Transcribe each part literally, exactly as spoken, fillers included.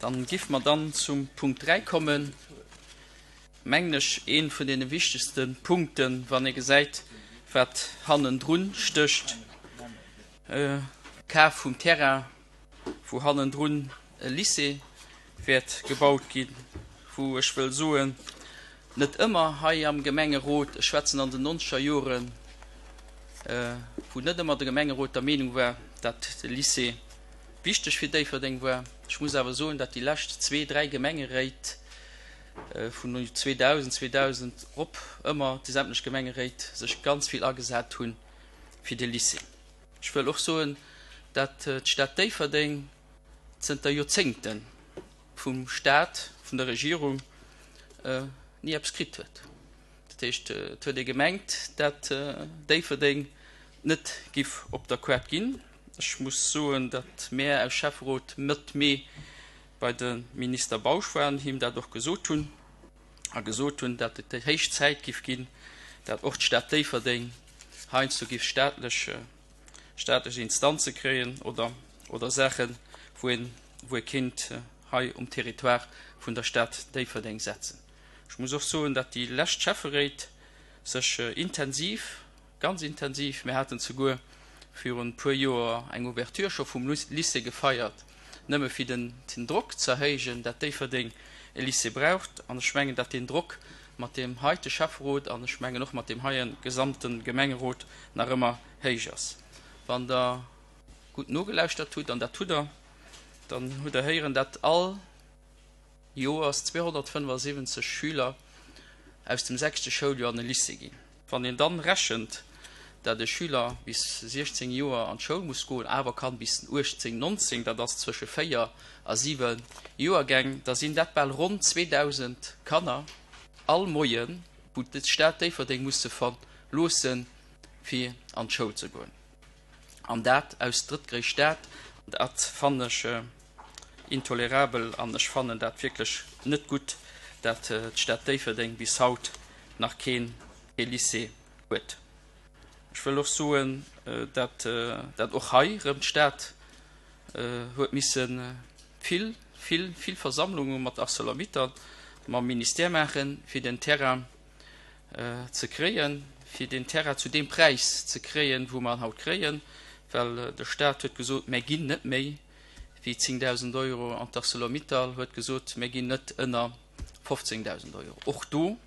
Dann giff mer dann zum Punkt dräi kommen, mengen ech ee vun deene wichtegste Punkten, wann ee gesäit, wat hannendrun stécht, Kaf vum Terrain, wou hannendrun e Lycée wäert gebaut ginn, wou ech wëll soen, net ëmmer hei am Gemengerot, ech schwätzen an den nonzeger Joren, wou net ëmmer de Gemengerot der Meenung war, dat de Lycée wichteg fir Déifferdeng war. Ech muss awer soen, dat déi lescht zwee, dräi Gemengeréit vun zweedausend, zweedausend erop ëmmer déi sämtlech Gemengeréit sech ganz vill agesat hu fir de Lycée. Ech wëll och soen, dat d'Stad Déifferdeng zënter Joerzéngte vum Stat, vun der Regierung ni eppes kritt huet. Dat heescht, et huet ee gemengt, dat Déifferdeng net giff op der Koart ginn. Ech muss soen, datt mär aus Schäfferot Mëtt Mee bei de Minister Bausch waren, him dat och gesot hunn a gesot hunn, datt et héich Zäit giff ginn, datt och d'Stad Déifferdeng heiansdo giff staatlech staatlech Instanze kréien oder oder Saachen, wou een wou ee kéint hei um Territoire vun der Stad Déifferdeng setzen. Ech muss och soen, datt déi lescht Schäfferéit sech intensiv, ganz intensiv, mir haten zeguer virun e puer Joer eng Ouverture scho vum Lycée gefeiert, nëmme fir den Drock ze erhéijen, dat Déifferdeng e Lycée braucht. An ech mengen, dat deen Drock mat deem heite Schäfferot an ech mengen och mat deem heie gesamte Gemengerot nach ëmmer héich ass. Wann Der gutt nogelauschtert hutt, an dat hutt Der, dann hutt Der héieren, dat all Joers zweehonnertfënnefasiwwenzeg Schüler aus dem sechste Schouljoer an e Lycée ginn. Wann een dann rechent, dat e Schüler bis siechzéng Joer an d'Schoul muss goen, awer kann bis uechtzéng, nonzéng, dat ass zwësche véier a siwe Joergäng, da sinn dat bal ronn zweedausend Kanner all Moien, wou d'Stad Déifferdeng muss se verloossen, fir an d'Schoul ze goen. An dat aus drëttgréisst Stad. Dat fannen ech intolerabel an ech fannen dat wierklech net gutt, dat d'Stad Déifferdeng bis haut nach keen Lycée huet. Ech wëll och soen, dat dat och hei erëm d'Stad huet misse vill, vill, vill Versammlunge mat Arcelor-Mittal, mam Ministère maachen, fir den Terrain ze kréien, fir deen Terrain zu deem Präis ze kréien, wou mer en haut kréien, well de Stat huet gesot, Mär ginn net méi wéi zéngdausend Euro, an d'Arcelor-Mittal huet gesot, Mär ginn net ënner fofzéngdausend Euro. Och do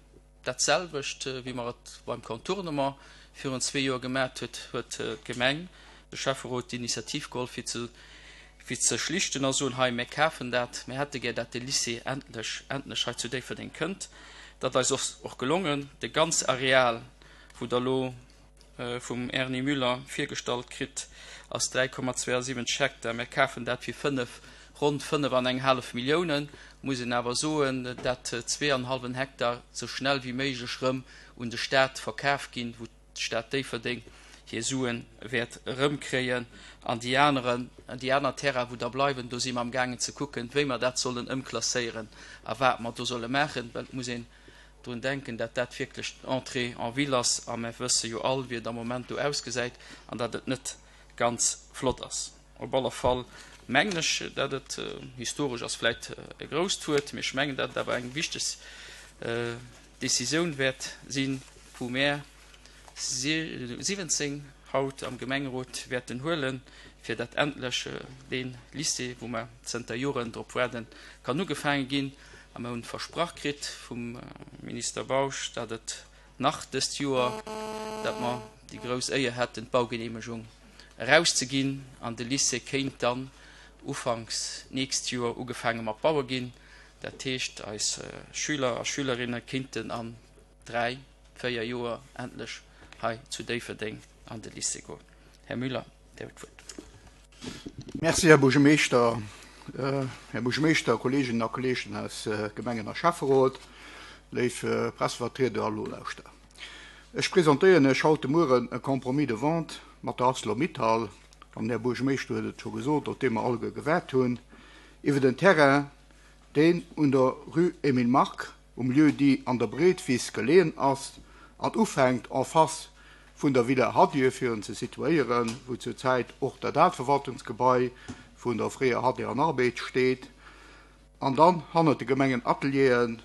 dat selwecht, wéi mer et beim Contournement virun zwee Joer gemat huet, huet d'Gemeng, de Schäfferot d'Initiativ geholl, fir ze fir ze schlichten a soen, hei, mär kafen dat, mär hätte gär, dat de Lycée endlech, endlech hei zu Déifferdeng kënnt. Dat eis ass och gelongen. De ganz Areal, wou Der elo vum Erny Müller virgestallt kritt, ass dräi Komma zweiundsiwwenzeg Hektar. Mär kafen dat fir fënnef, ronn fënnef an eng hallef Milliounen. Muss een awer soen, dat zwee an hallwen Hektar sou schnell wéi méiglech rëm un de Stat verkaf ginn, wou d'Stad Déifferdeng hir Sue wäert erëmkréien. An déi aneren, déi aner Terrainen, wou da bleiwen, do si mer amgaangen ze kucken, wéi mer dat sollen ëmklasséieren a wat mer do solle maachen, well et muss een drun denken, dat dat wierklech d'Entrée en ville ass a mer wësse jo all, wéi et am Moment do ausgesäit an dat et net ganz flott ass. Op alle Fall mengen ech, dat et, historesch ass vläicht e grousst Wuert, mee ech mengen, dat et awer eng wichteg Décisioun wäert sinn, wou mär siwwenzéng haut am Gemengerot wäerten huelen, fir dat endlech dee Lycée, wou mer zënter Joren drop waarden, kann ugefaange ginn. A mer hunn versprach kritt vum Minister Bausch, dat et nach dëst Joer, dat mer déi grouss Éier hätten, d'Baugenehmegung erauszeginn an de Lycée kéint dann ufanks d'nächst Joer ugefaange mat baue ginn. Dat heescht, eis Schüler a Schülerinne kéinten an dräi, véier Joer endlech hei zu Déifferdeng an de Lycée goen. Här Müller, Dir hutt d'Wuert. Merci, Här Buergermeeschter. Här Buergermeeschter, Kolleeginnen a Kolleegen aus Gemengen a Schäfferot, léif Pressevertrieder a Nolauschterer. Ech presentéieren Iech haut de Mueren e Compromis de vente mat der Arcelor-Mittal, an den Här Buergermeeschter huet et scho gesot, op dee mer alleguer gewaart hunn, iwwer en Terrain, deen un der Rue Emile Mark um Lieu-dit An der Breetwiss geleeën ass an ufänkt en face vun der Villa Hadieu, fir en ze situéieren, wou zur Zäit och dat aalt Verwaltungsgebai vun der fréier Hadieu an Arbed steet, An dann hannert de Gemengenatelieren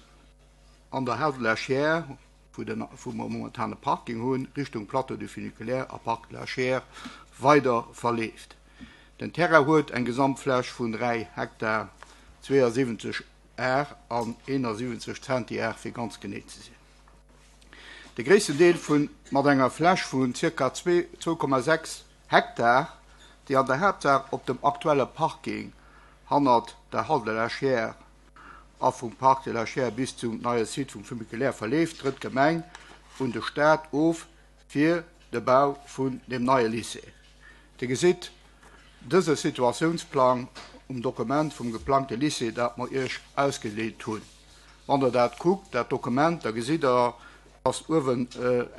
an der Halle de la Chiers, wou den wou mer momentan e Parking hunn, Richtung Plateau du Funiculaire a Parc de la Chiers weider verleeft. Den Terrain huet eng Gesamtfläch vun dräi Hektar zweeënsiwwenzeg Ar an eenasiwwenzeg Zentiar, fir ganz genee ze sinn. De gréissten Deel vun mat enger Fläch vun zirka zwou Komma sechs Hektar, déi an der Haaptsaach op dem aktuelle Parking hannert der Halle de la Chiers a vum Parc de la Chiers bis zum neie Site vum Funiculaire verleeft, trëtt d'Gemeng un de Staat of fir de Bau vun deem neie Lycée. Dir gesitt dëse Situatiounsplang um Dokument vum geplangte Lycée, dat mer Iech ausgeleet hunn. Wann Der dat kuckt, dat Dokument, da gesitt Der, dass uewen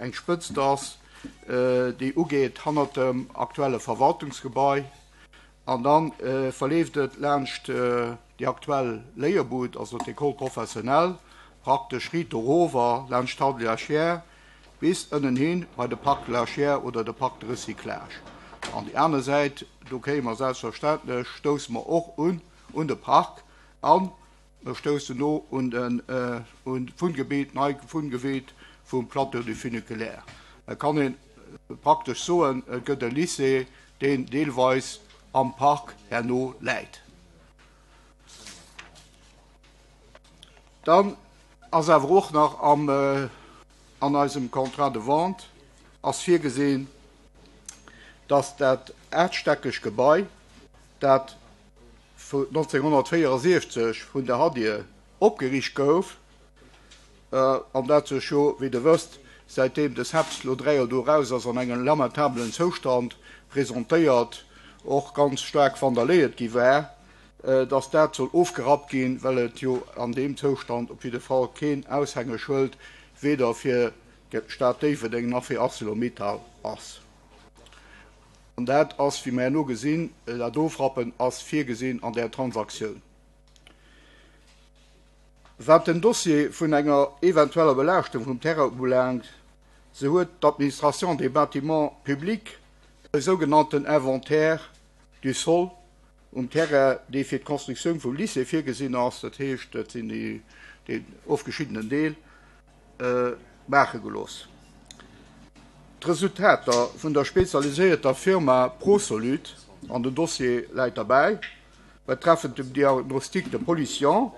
eng Spëtzt ass, déi ugeet hannert dem aktuelle Verwaltungsgebai, an da verleeft et laanscht déi aktuell Léierbud, also d'École professionnelle, praktesch riit dorower laanscht d'Halle de la Chiers bis ënnen hin bei de Parc de la Chiers oder de Parc de recyclage. An déi aner Säit, do kéime mer selbstverständlech, stousse mer och un un de Park an mer stoussen do un den un d'Wunngebitt, neit Wunngebitt vum Plateau du Funiculaire. Et kann ee praktesch soen, et gëtt e Lycée, deen deelweis am Park herno läit. Dann ass awer och nach am an eisem Contrat de vente ass virgesinn, dass dat aachteckeg Gebai, dat nonzénghonnertvéierundsechzeg vun der Hadie opgeriicht gouf, an dat sech jo, wéi Der wësst, säitdeem de CEPS lo dräi Joer do eraus ass, an engem lamentabelen Zoustand presentéiert, och ganz staark vandaléiert gi war, dass dat soll ofgerappt ginn, well et jo an deem Zoustand op jidde Fall keen Aushängeschëld weder fir d'Stad Déifferdeng nach fir ArcelorMittal ass. An dat ass, wéi mer herno gesinn, dat Ofrappen ass virgesinn an där Transaktioun. Wat den Dossier vun enger eventueller Belaaschtung vum Terrain ubelaangt, sou huet d'Administration des bâtiments publics e sougenannten Inventaire du sol um Terrain, dee fir d'Constructioun vum Lycée virgesinn ass, dat heescht, dat sinn déi, deen ofgeschiddenen Deel, maache gelooss. D'Resultater vun der spezialiséierter Firma Prosolud, an den Dossier läit derbäi, betreffend dem Diagnostic de pollution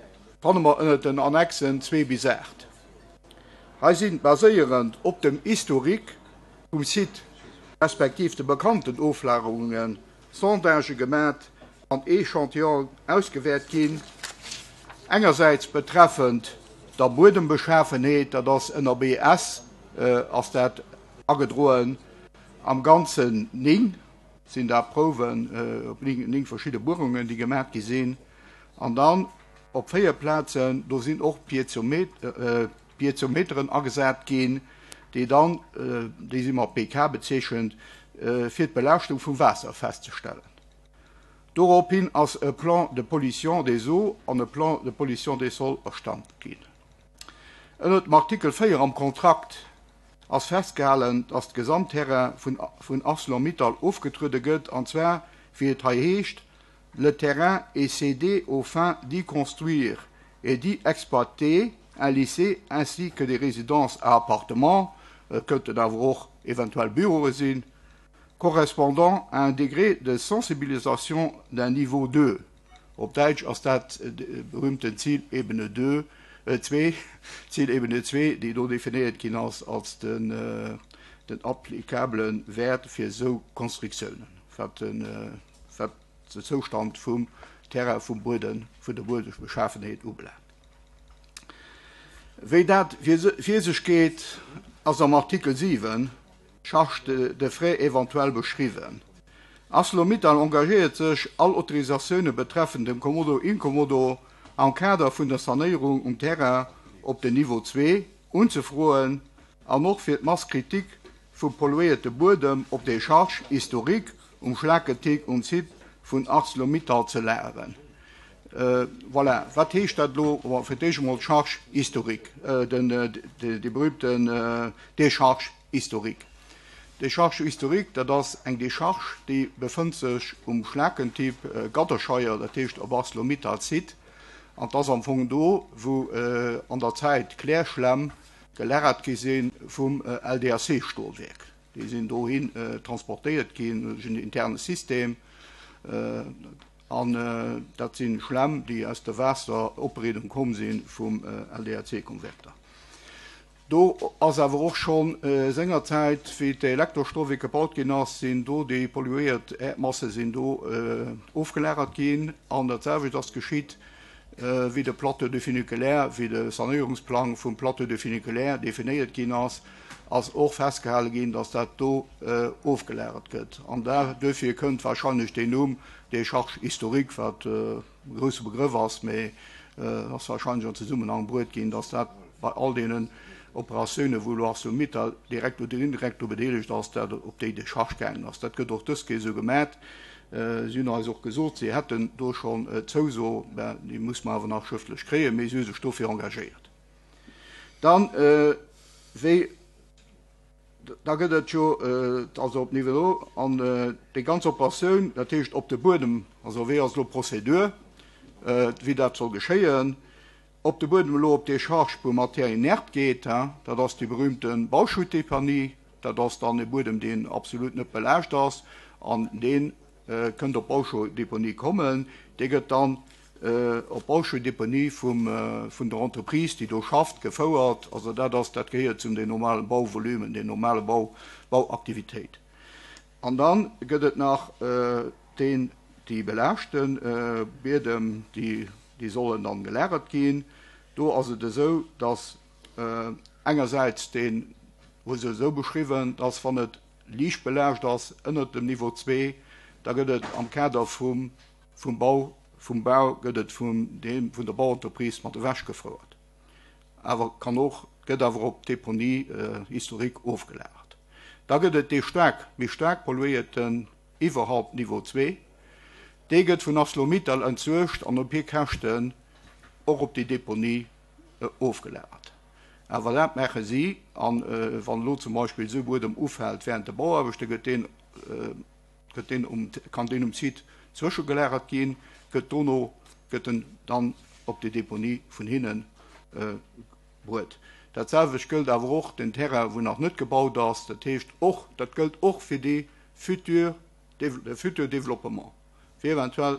fanne mer ënnert den Annexen zwee bis aacht. Hei sinn, baséierend op dem Historique vum Site respektiv de bekannten Oflagerungen, Sondagë gemat an Echantillonen ausgewäert ginn, engersäits betreffend der Buedembeschafenheet, dat ass ënner B S ass dat agedroen, am Ganzen néng sinn dat Prouwen op néng verschidde Buerungen, déi gemat gi sinn, an dann op véier Plazen, do sinn och Piezometeren agesat ginn, déi dann, déi si mat B K bezeechent, fir d'Belaaschtung vum Waasser festzestellen. Dorophin ass e Plan de pollution des eaux an e Plan de pollution des sols erstallt ginn. Ënner dem Artikel véier am Kontrakt ass festgehalen, dass d'Gesamtterrain vun, vun ArcelorMittal ofgetruede gëtt, an zwar, wéi et hei heescht, le terrain est cédé aux fins d'y construire et d'y exploiter un lycée ainsi que des résidences à appartements, et könnten awer och eventuell Büroe sinn, correspondant à un degré de sensibilisation d'un niveau deux. Op Däitsch ass dat de berühmten Zielebene deux, äh, zwee, Zielebene zwee, déi do definéiert ginn ass als den, äh, den applikablen Wert fir esou Konstruktiounen, wat den, äh, wat den Zoustand vum Terrain, vum Bueden, vun der Buedebeschaffenheet ubelaangt. Wéi dat fir sech geet, ass am Artikel siwen Charge de, de frais éventuell beschriwwen. ArcelorMittal engagéiert sech, all Autorisatioune betreffend dem Kommodo Incommodo am Kader vun der Sanéierung um Terrain op den Niveau zwee unzefroen an och fir d'Masse critique vum polluéierte Buedem op der Charge historique um Schlaketick um Site vun ArcelorMittal ze lagern. Äh, voilà. Wat heescht dat lo? Bon, fir d'éischt emol Charge historique, äh, den, äh, de, de berühmten, äh, Décharge historique. Décharge historique, dat ass eng Décharge, déi befënnt sech um Schlakentipp, äh, Gadderscheier, dat heescht op ArcelorMittal Site, An et ass am Fong do, wou an der Zäit Klärschlämm gelagert gi si vum L D A C-Stolwerk. Déi sinn dohin transportéiert ginn duerch en interne System. An dat si Schlämm, déi aus der Waasseropbereedung komm si vum L D A C-Konverter. Do ass awer och schonn sengerzäit, wéi d'Elektrostolwierk gebaut ginn ass, sinn do déi polluéiert Äerdmasse sinn do ofgelagert ginn. An dat selwecht ass geschitt, wéi de Plateau de Funiculaire, wéi de Sanéierungsplang vum Plateau de Funiculaire definéiert ginn ass, ass och festgehale ginn, datt dat do ofgelagert gëtt. An duerfir kënnt warscheinlech deen Numm Décharge historique, wat e grousse Begrëff ass, mee ass warscheinlech an Zesummenhang bruet ginn, datt dat bei all deenen Operatiounen, wou elo ArcelorMittal direkt oder indirekt do bedeelegt ass, dat op déi Décharge gaangen ass. Dat gëtt och dës Kéier esou gemat. Si hunn eis och gesot, si hätten do schonn d'Zouso, mä déi muss mer awer nach schrëftlech kréien, mee si hu sech dofir engagéiert. Dann, wéi, da gëtt et jo, also op Niveau an déi ganz Operatioun, dat heescht op de Buedem, also wéi ass elo d'Prozedur, wéi dat soll geschéien, op de Buedem elo op Décharge pour matière inerte geet, dat ass déi berühmte Bauschuttdeponie, dat ass dann e Buedem, deen absolut net belaascht ass, an dee kënnt op Bauschuttdeponie kommen, dee gëtt dann op Bauschuttdeponie vum vun der Entreprise, déi do schafft, gefouert. Also dat ass, dat gehéiert zum den normalen Bauvolumen, den normale Bau, Bauaktivitéit. An dann gëtt et nach deen, déi belaaschte Biedem, déi déi sollen dann gelagert ginn. Do ass et esou, dass engersäits deen, hu se esou beschriwwen, dass wann et liicht belaascht ass, ënnert dem Niveau zwee, da gëtt et am Kader vum vum Bau, vum Bau gëtt et vum deem vun der Bauentreprise mat ewechgefouert. Awer kann och, gëtt awer op Deponie historique ofgelagert. Da gëtt et dee staark, méi staark polluéierten iwwerhalb Niveau zwee. Dee gëtt vun ArcelorMittal entsuergt an op hir Käschten och op déi Deponie ofgelagert. Awer dat maache si, an wann elo zum Beispill esou Buedem ufält während de Bauaarbechte, gëtt deen, gëtt deen um, kann deen um Site zwëschegelagert ginn, gëtt dono, gëtt en dann op déi Deponie vun hinne bruet. Dat selwecht gëllt awer och den Terrain, wou nach net gebaut ass. Dat heescht och, dat gëllt och fir déi futur, de futur Développement, fir eventuell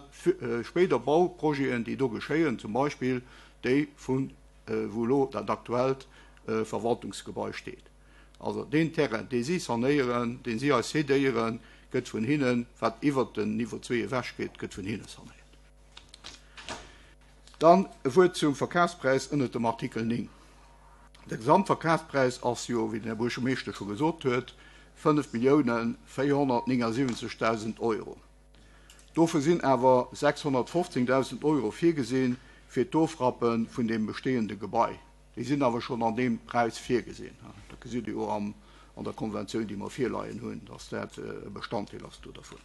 spéider Bauprojeten, déi do geschéien, zum Beispill déi vun wou elo dat aktuellt Verwaltungsgebai steet. Also deen Terrain, dee si sanéieren, deen si eis cédéieren, gëtt vun hinnen, wat iwwert den Niveau zwee ewech geet, gëtt vun hinne sanéiert. Dann e Wuert zum Verkafspräis ënnert dem Artikel néng. De Gesamtverkafspräis ass jo, wéi den Här Buergermeeschter scho gesot huet, fënnef Milliounen véierhonnertnéngesiwwenzegdausend Euro. Dofir sinn awer sechshonnertfofzéngdausend Euro virgesinn fir d'Ofrappe vun dem bestehende Gebai. Déi sinn awer schonn an deem Präis virgesinn. Dat gesitt Dir jo am, an der Konventioun, déi mer virleien hunn, dass dat e Bestanddeel ass do dervun.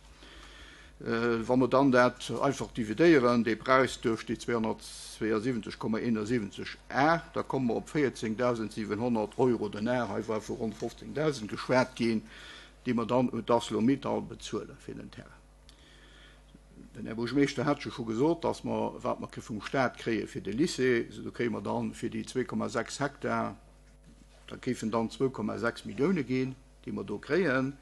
Wa mer dann dat einfach dividéieren, dee Präis duerch déi zweehonnertzweeënsiwwenzeg Komma eenesiwwenzeg Ar, da komme mer op véierzéngdausendsiwenhonnert Euro den Ar, hei war vu ronn fofzéngdausend geschwat ginn, déi mer dann un d'ArcelorMittal bezuele fir den Terrain. Den Här Buergermeeschter hat jo scho gesot, dass mer, wat mer vum Staat kréie fir de Lycée, do kréie mer dann fir déi zwee Komma sechs Hektar, da géifen dann zwou Komma sechs Millioune ginn, déi mer do kréien.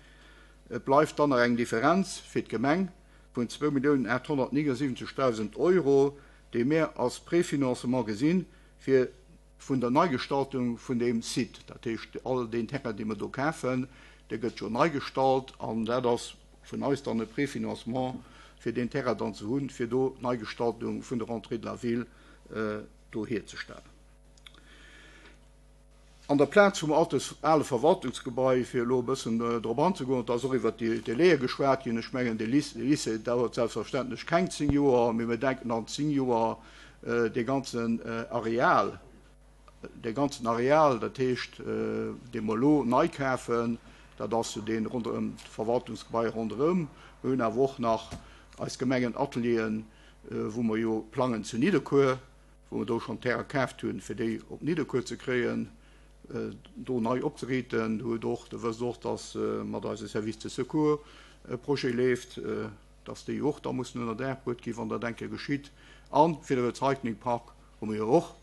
Et bleift dann nach eng Differenz fir d'Gemeng vun zwou Milliounen aathonnertnéngesiwwenzegdausend Euro, déi mir als Préfinancement gesinn fir vun der Neigestaltung vun deem Site. Dat heescht, all deen Terrain, dee mer do kafen, dee gëtt jo nei gestalt, an dat ass vun eis dann e Préfinancement, fir deen Terrain dann ze hunn, fir do d'Neigestaltung vun der Entrée de la Ville do hierzestellen. An der Plaz vum ale Verwaltungsgebai, fir elo e bëssen drop anzegoen, et ass och iwwert déi Délaië geschwat ginn, ech mengen, de Lycée dauert selbstverständlech keng zéng Joer, mee mir denken an zéng Joer dee ganzen Areal, dee ganzen Areal, dat heescht, dee mer elo nei kafen, dat ass jo dee ronderëm d'Verwaltungsgebai ronderëm. Mir hunn awer och nach eis Gemengenatelieren, wou mer jo plangen zu Nidderkuer, wou mer do schonn Terrain kaaft hunn, fir déi op Nidderkuer ze kréien, do nei opzeriiten. Du hutt och, du wësst och, dass mat eise Service de Secours e Projet leeft. dass déi och da mussen ënner Daach bruet ginn, wann dat eng Kéier geschitt. A fir de Recyclingpark hu mir jo och,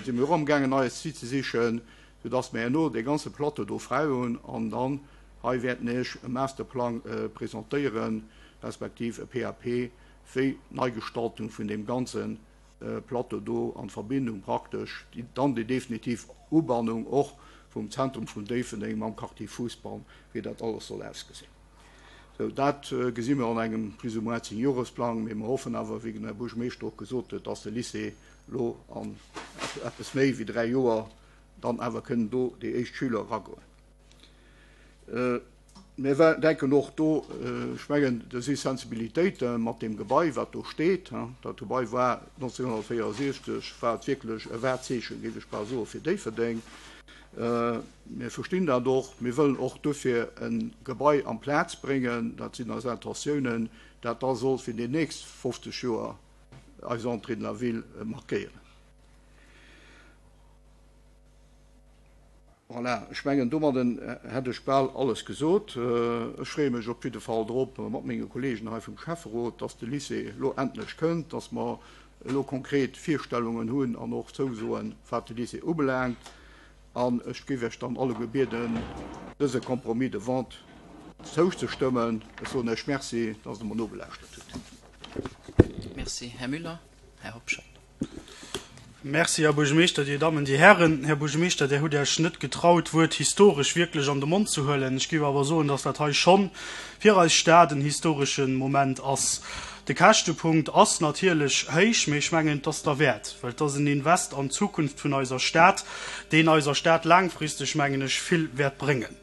si mir och amgaangen, en neie Site ze sichen, soudass mir herno dee ganze Plateau do fräi hunn an dann hei wäerten Iech e Masterplang presentéieren, respektiv e P A P, wéi d'Neigestaltung vun deem ganze Plateau do an Verbindung praktesch dann déi definitiv Ubannung och vum Zentrum vun Déifferdeng mam Quartier Fousbann, wéi dat alles soll ausgesinn. Sou, dat gesi mir an engem plus ou moins zéng-Joresplang, mee mir hoffen awer, wéi den Här Buergermeeschter och gesot huet, dass de Lycée elo an eppes méi wéi dräi Joer dann awer kënnen do déi éischt Schüler eragoen. Mir denken och do, ech mengen, do si Sensibilitéite mat deem Gebai, wat do steet. Dat Gebai war nonzénghonnertvéierundsechzeg, war et wierklech e Wahrzeechen, géif ech bal soen, fir Déifferdeng. Mir verstinn dat och. Mir wëllen och dofir e Gebai amplaz bréngen, dat sinn eis Intentiounen, dat da soll fir déi nächst fofzeg Joer eis Entrée de la ville markéieren. Voilà, ech mengen, domadden hätt ech bal alles gesot. Ech freeë mech op jidde Fall drop, mat menge Kollegen hei vum Schäfferot, dass de Lycée elo endlech kënnt, dass mer elo konkret Virstellungen hunn an och Zousoen, wat de Lycée ubelaangt. An ech géif Iech dann alleguer bieden, dëse Compromis de vente zouzestëmmen. Ech soen Iech Merci, dass Der mer nogelauschtert hutt. Merci, Här Müller. Här Hobscheit. Merci, Här Buergermeeschter, Dir Dammen, Dir Hären. Här Buergermeeschter, Dir hutt Iech net getraut, d'Wuert historesch wierklech an de Mond ze huelen. Ech géif awer soen, dass dat hei schonn fir eis Stad en historesche Moment ass. De Käschtepunkt ass natierlech héich, mee ech mengen, et ass derwäert, well et ass en Invest an d'Zukunft vun eiser Stad, deen eiser Stad laangfristeg, mengen ech, vill wäert bréngen.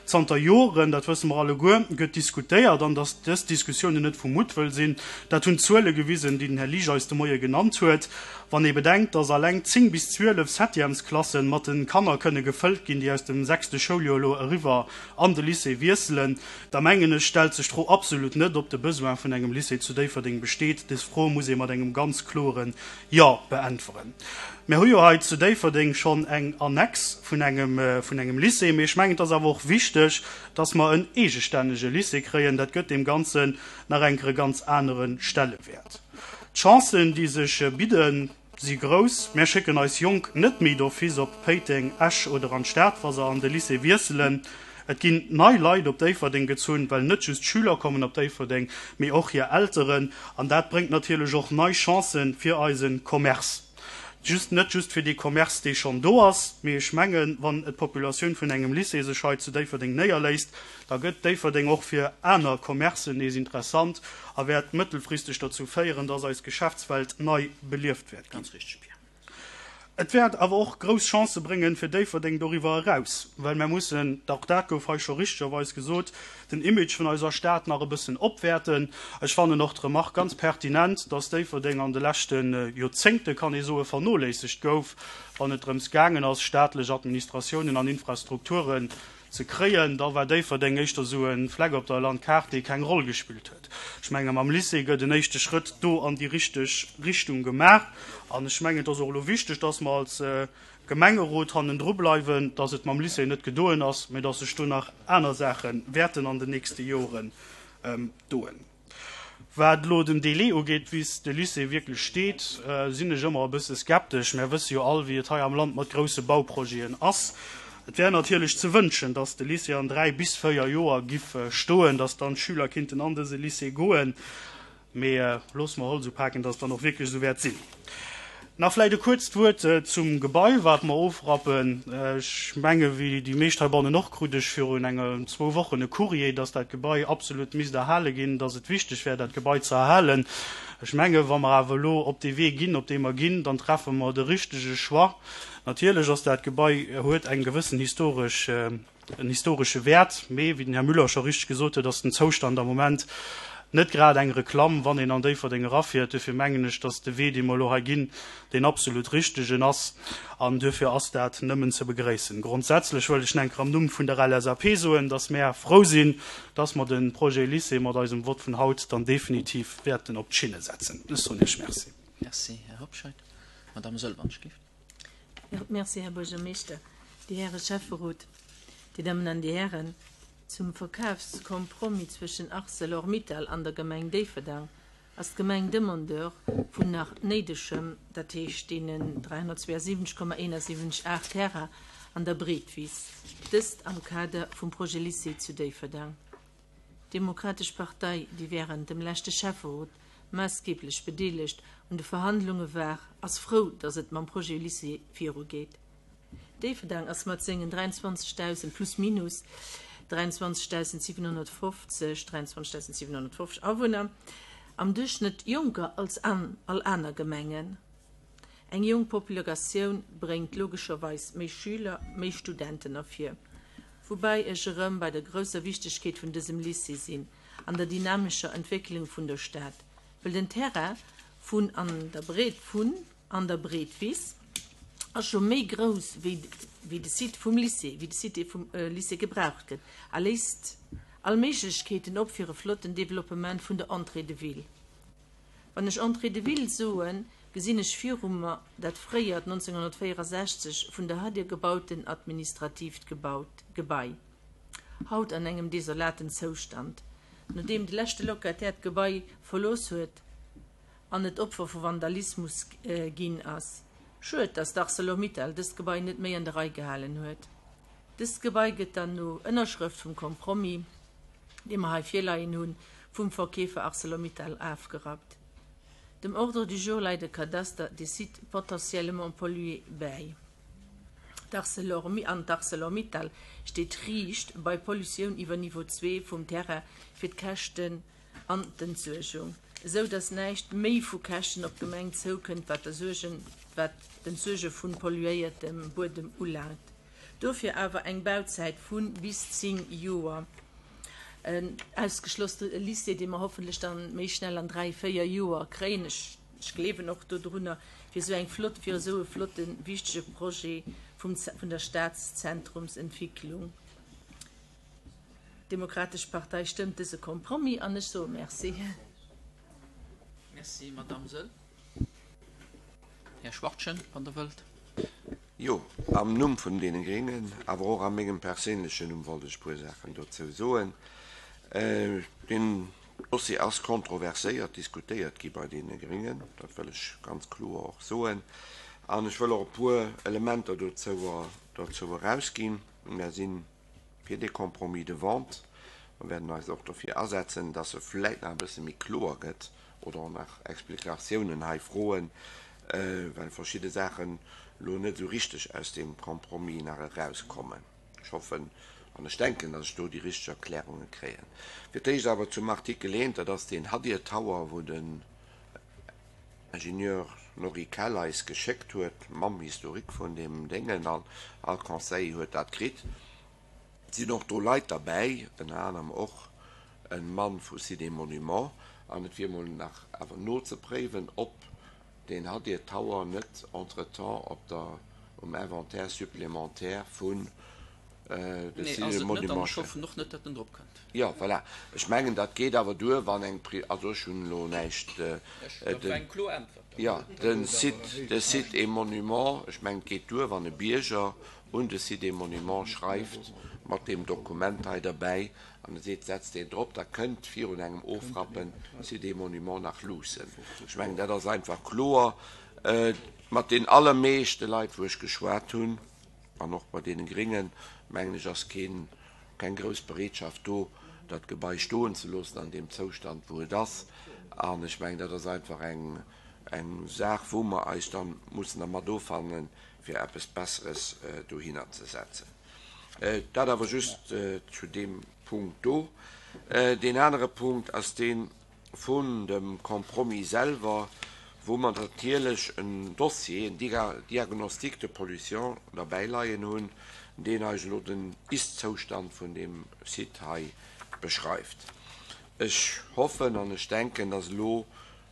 Zanter Joren, dat wësse mer alleguer, gëtt diskutéiert, an datt dës Diskussiounen net vu Muttwëll sinn, dat hunn d'Zuele gewisen, déi den Här Liesch eis de Moie genannt huet. Wann ee bedenkt, datt alleng zéng bis zwielef Septièmesklasse mat de Kanner kënne gefëllt ginn, déi aus dem sechste Schouljoer elo eriwwer an de Lycée wiesselen, da mengen ech, stellt sech d'Fro absolut net, ob de Besoin vun engem Lycée zu Déifferdeng besteet. Des Fro muss ee mat engem ganz kloren Jo beäntweren. Mir hu jo hei zu Déifferdeng schonn eng Annex vun engem, vun engem Lycée, mee ech mengen, et ass awer och wichteg, dass mer en eegestännege Lycée kréien. Dat gëtt deem Ganzen nach eng Kéier e ganz anere Stellewäert. D'Chancen, déi sech bidden, si grouss. Mir schécken eis Jonk net méi d'office op Péiteng, Esch oder an d'Stad, wa se an de Lycée wiesselen. Et ginn nei Leit op Déifferdeng gezunn, well net just d'Schüler kommen op Déifferdeng, mee och hir Elteren. An dat bréngt natierlech och nei Chancen fir eise Commerce. Just net just fir dee Commerce, dee schonn do ass, mee ech mengen, wann d'Populatioun vun engem Lycée sech hei zu Déifferdeng néierléisst, da gëtt Déifferdeng och fir aner Commercen nees interessant a wäert mëttelfristeg dozou féieren, dass eis Geschäftswelt nei belieft wäert ginn. Ganz richteg, Pierre. Et wäert awer och grouss Chancë bréngen fir Déifferdeng doriwwer eraus, well mär mussen, och dat gouf hei scho richtegerweis gesot, den Image vun eiser Stad nach e bëssen opwäerten. Ech fannen och d'Remark ganz pertinent, dass Déifferdeng an de leschte Joerzéngte, kann ee soen, vernoléissegt gouf, wann et drëms gaangen ass, staatlech Administratiounen an Infrastrukturen ze kréien. Da war Déifferdeng éischter esou e Fleck op der Landkaart, dee keng Roll gespillt huet. Ech menge mam Lycée gëtt en éischte Schrëtt do an déi richteg Richtung gemaach. An ech mengen, et ass och elo wichteg, dass mer als Gemengerot hannendru bleiwen, dass et mam Lycée net gedoen ass, mä dass sech do nach aner Saache wäerten an den nächste Joren doen. Wat elo den Délai ugeet, bis de Lycée wierklech steet, sinn ech ëmmer e bësse skeptesch. Mär wësse jo all, wéi et hei am Land mat grousse Bauprojeten ass. Et wär natierlech ze wënschen, dass de Lycée an dräi bis véier Joer giff stoen, dass dann d'Schüler kinnten an dëse Lycée goen. Mee loosse mer Holz upaken, dass et dann och wierklech esou wäert sinn. Nach vläicht e kuerzt Wuert zum Gebai, wat mer ofrappen. Ech menge wéi déi meescht heibannen och, krut ech virun enger zwou Wochen e Courrier, dass dat Gebai absolut misst erhale ginn, dass et wichteg wär, dat Gebai ze erhalen. Ech menge wa mer awer elo op dee Wee ginn, op dee mer ginn, dann treffe mer de richtege Choix. Natierlech ass dat Gebai, huet eng gewëssen historesch, en historesche Wäert, mee wéi den Här Müller scho richteg gesot huet, ass den Zoustand am Moment net grad eng Reklamm, wann een an Déifferdeng erafiert. Duerfir mengen ech, dass de Wee, dee mer elo hei ginn, deen absolut richtegen ass, an duerfir ass dat nëmmen ze begréissen. Grondsätzlech wëll ech enker am Numm vun der L S A P soen, dass mär frou sinn, dass mer de Projet Lycée mat eisem Vott vun haut dann definitiv wäerten op d'Schinne setzen. Ech soen Iech Merci. Merci, Här Hobscheit. Madame Sölvanschkift. Merci, Här Buergermeeschter, déi Häre Schäfferot, Dir Dammen an Dir Hären. Zum Verkafskompromiss zwëschen ArcelorMittal an der Gemeng Déifferdeng ass d'Gemeng Demandeur vun nach néidegem, dat heescht deenen dräihonnertzweeënsiwwenzeg Komma eenasiwwenzeg aacht Terrain an der Breetwiss, dëst am Kader vum Projet Lycée zu Déifferdeng. D'Demokratesch Partei, déi wärend dem leschte Schäfferot maassgeeblech bedeelegt un de Verhandlunge war, ass frou, datt et mam Projet Lycée virugeet. Déifferdeng ass mat sengen dräianzwanzegdausend plus minus dräianzwanzegdausendsiwenhonnertfofzeg, dräianzwanzegdausendsiwenhonnertfofzeg Awunner am Duerchschnëtt jonker als an all aner Gemengen. Eng jonk Populatioun bréngt logescherweis méi Schüler, méi Studenten ervir. Woubäi ech erëm bei der grousser Wichtegkeet vun dësem Lycée sinn an der dynamescher Entwécklung vun der Stad, well den Terrain vun an der Breet vun an der Breetwiss ass scho méi grouss wéi wéi de Site vum Lycée, wéi de Site vum Lycée gebraucht gëtt a léisst all Méiglechkeeten op fir e flotten Developpement vun der Entrée de ville. Wann ech Entrée de ville soen, gesinn ech viru mer dat fréiert nonzénghonnertvéierasechzeg vun der Hadir gebauten administratiivt gebaut Gebai, haut an engem desolaten Zoustand, nodeem de leschte Locataire d'Gebai verlooss huet an et Opfer vu Vandalismus ginn ass. Schued, datt d'Arcelor-Mittal dëst Gebai net méi an der Rei gehalen huet. Dëst Gebai gëtt dann no Ënnerschrëft vum Compromis, dee mer hei virleien hunn, vum Verkeefer Arcelor-Mittal afgerappt. Dem Ordre du jour läit e Kadaster des sites potentiellement pollués bäi. D'Arcelor an d'Arcelor-Mittal steet riicht bei Pollutioun iwwer Niveau zwee vum Terrain fir d'Käschten an d'Entsuergung, esou datt näischt méi vu Käschten op d'Gemeng zoukënnt, wat d'Ersuergen, wat d'Entsuerge vu polluéiertem Buedem ulaangt. Dofir awer eng Bauzäit vu bis zéng Joer. En ausgeschloss de Lycée, dee mer hoffentlech dann méi schnell an dräi, véier Joer kréien, ech, ech gleewen och dodrunner, fir esou eng flott, fir esou e flotten, wichtege Projet vum, vun der Staatszentrumsentwicklung. D'Demokratesch Partei stëmmt dëse Compromis an ech soe Merci. Merci, Madamm Sëll. Här Schwachtgen, wann Der wëllt. Jo, am Numm vun deene Gréngen, awer och a mengem perséinlechen Numm wollt ech e puer Saachen dozou soen. Deen Dossier ass kontroverséiert diskutéiert gi bei deene Gréngen, dat wëll ech ganz kloer och soen. An ech wëll och e puer Elementer dozou dozou erausginn. Mär si fir dee Compromis de vente. Mer wäerten eis och dofir asetzen, dass e vläicht nach e bësse méi kloer gëtt oder och nach Explikatiounen hei froen, well verschidde Saachen elo net esou richteg aus deem Compromis nach erauskommen. Ech hoffen an ech denken, datt ech do déi richteg Erklärunge kréien. Fir d'éischt awer zum Artikel eent, dat ass deen Hadir Tower, wou den Ingenieur Norry Kell eis geschéckt huet mam Historique vun deem Déngen, an all Conseiller huet dat kritt. Et sinn och do Leit derbäi, ënner anerem och e Mann vu Sites et Monuments, an et wier emol nach awer nozepréiwen, ob deen Hadir Tower net entretemps op der, um Inventaire supplémentaire vun de Nee, Sites ass et et net, an ech Monuments. hoffen och net, datt en drop kënnt. Jo, voilà. Ech mengen, dat geet awer duer, wann eng Pri-, also ech hunn elo näischt, Ech, dat war eng kloer Äntwert. jo, de Site, de Sites et Monuments, ech mengen, et geet duer, wann e Bierger un de Sites et Monuments schreift mat deem Dokument hei derbäi an e seet, setzt deen drop, da kënnt virun engem Ofrappen Sites et Monuments nach luussen. Ech mengen, dat ass einfach kloer. Mat den allermeeschte Leit, wou ech geschwat hunn, an och bei deene Gréngen, mengen ech, ass keen, keng grouss Bereetschaft do, dat Gebai stoen ze loossen an deem Zoustand, wou et ass. An ech mengen, dat ass einfach eng, eng Saach, wou mer eis da mussen dermat offannen, fir eppes Besseres dohinner ze setzen. Dat awer just zu deem Punkt do. Deen anere Punkt ass dee vun dem Compromis selwer, wou mer natierlech en Dossier, en Diagnostic de pollution derbäi leien hunn, deen eis elo den Ist-Zoustand vun deem Site hei beschreift. Ech hoffen an ech denken, dass elo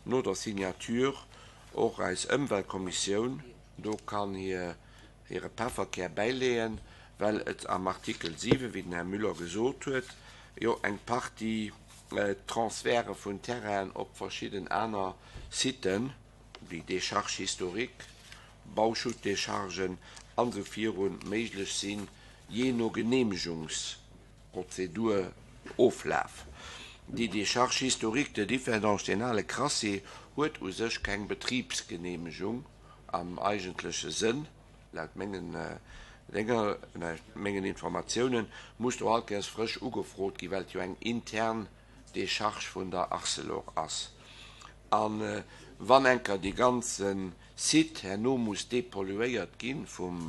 no der Signature och eis Ëmweltkommissioun do kann hir hire Pefferkär bäileeën, well et am Artikel siwen, wéi den Här Müller gesot huet, jo eng Partie Transferte vun Terrainen op verschidden aner Siten, wéi Décharge historique, Bauschuttdéchargen an esou virun, méiglech sinn, jee no Genehmegungs. Prozedur oflaf. Déi Décharge historique de Differdange, deen ale Crassier, huet u sech keng Betribsgeneemegung am eigentleche Sënn, laut mengen Dénger, mengen Informatiounen, muss do all Kéiers frësch ugefrot ginn, well et jo eng intern Décharge vun der Arcelor ass. A wann eng Kéier dee ganze Site herno muss dépolluéiert gi vum,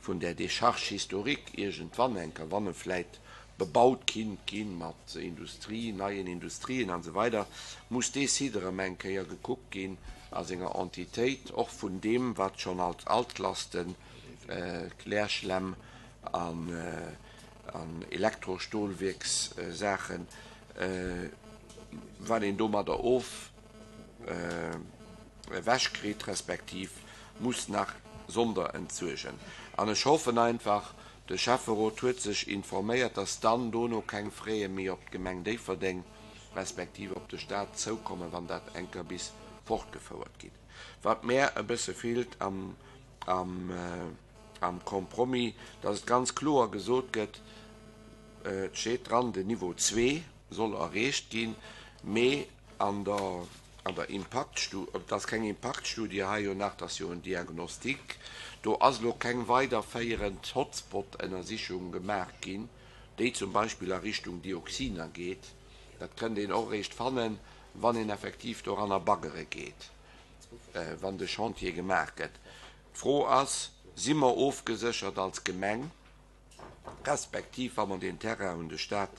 vun där Décharge historique, iergendwann eng Kéier, wann e vläit bebaut kinnt ginn mat Industrie, neien Industrien an esou weider, muss dee Site erëm eng Kéier gekuckt ginn a senger Entitéit, och vun deem, wat schonn als Altlasten, Klärschlämm an Elektrostolwierkssaachen, wat een domadder of ewechkritt, respektiv muss nach sonderentsuergen. An ech hoffen einfach, de Schäfferot huet sech informéiert, dass dann dono keng Fräe méi op d'Gemeng Déifferdeng respektiv op de Stat zoukommen, wann dat eng Kéier bis fortgefouert ginn. Wat mär e bësse feelt am Compromis, dass et ganz kloer gesot gëtt, et steet dran, den Niveau zwee soll erreecht ginn, mee an der an der Impaktstu-, et ass keng Impaktstudie hei jo nach, et ass jo en Diagnostic, do ass elo keng weiderféierend Hotspot-Ënnersichung gemaach ginn, déi zum Beispill a Richtung Dioxiner geet. Dat kënnt een och eréischt fannen, wann een effektiv doranner baggere geet, wann de Chantier gemaach gëtt. D'Fro ass, Si mer ofgeséchert als Gemeng, respektiv wa mer deen Terrain un de Stat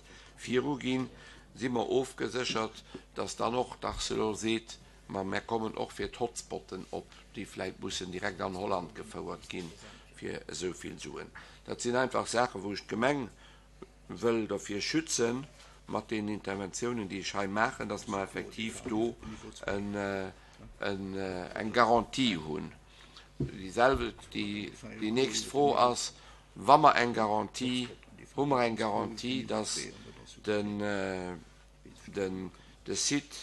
viruginn, si mer ofgeséchert, dass dann och d'Arcelor seet, ma mär kommen och fir d'Hotspotten op, déi vläicht mussen direkt an Holland gefouert ginn, fir esou vill Suen. Dat sinn einfach Saachen, wou ech d'Gemeng wëll derfir schützen, mat deenen Interventiounen, déi ech hei maachen, dass mer effektiv do eng Garantie hunn. Déi selwecht, déi nächst Fro ass, wa mer eng Garantie, hu mer eng Garantie, dass den, den, de Site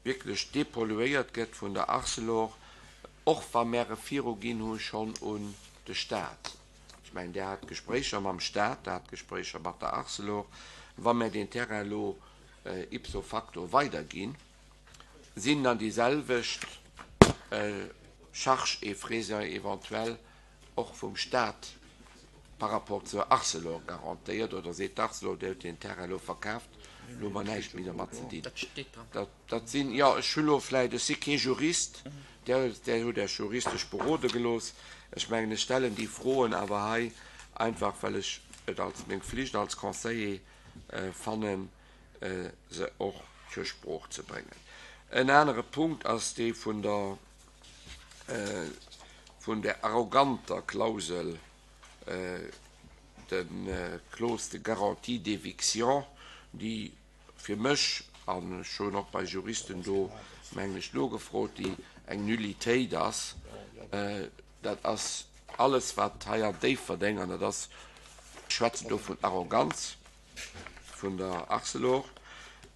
wierklech dépolluéiert gëtt vun der Arcelor, och wa mär e viruginn hu schonn un de Stat? Ech mengen, Där hat Gespréicher mam Stat, Der hat Gespréicher mat der Arcelor. Wa mär deen Terrain elo ipso facto weiderginn, sinn dann déi selwecht Charges et frais éventuels och vum Stat par rapport zur Arcelor garantéiert oder seet d'Arcelor, Dir hutt deen Terrain elo verkaaft, elo hu mer näischt méi dermat ze dinn? Dat sinn, jo, ech hu lo vläicht, ech si kee Jurist, Där hutt Iech juristesch berode gelooss. Ech mengen, ech stellen déi Froen awer hei einfach, well ech et als meng Flicht als Conseiller fannen, se och zur Sprooch ze bréngen. En anere Punkt ass dee vun der, vun der arroganter Klausel, de Clause de garantie d'éviction, déi fir mech, an ech hunn och bei Juristen do, mengen ech, nogefrot, déi eng Nullitéit ass. Dat ass alles, wat hei an Déifferdeng, an dat ass, ech schwätzen do vun Arroganz vun der Arcelor,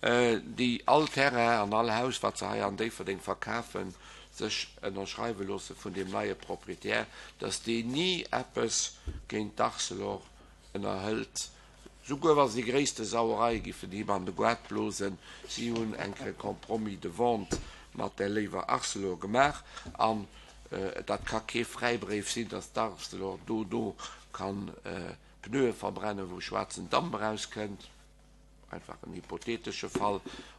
déi all Terrain an all Haus, wat se hei an Déifferdeng verkafen, sech ënnerschreiwe loosse vun deem neie Proprietär, dass deen ni eppes géint d'Arcelor ënnerhëlt, souguer wa se déi gréisste Sauerei giffen him an de Goart blosen. Si hunn eng Kéier e Compromis de vente mat där léiwer Arcelor gemaach an dat ka kee Fräibréif sinn, dass d'Arcelor dono kann Pneue verbrennen, wou schwaarzen Damp erauskënnt, einfach en hypothetesche Fall,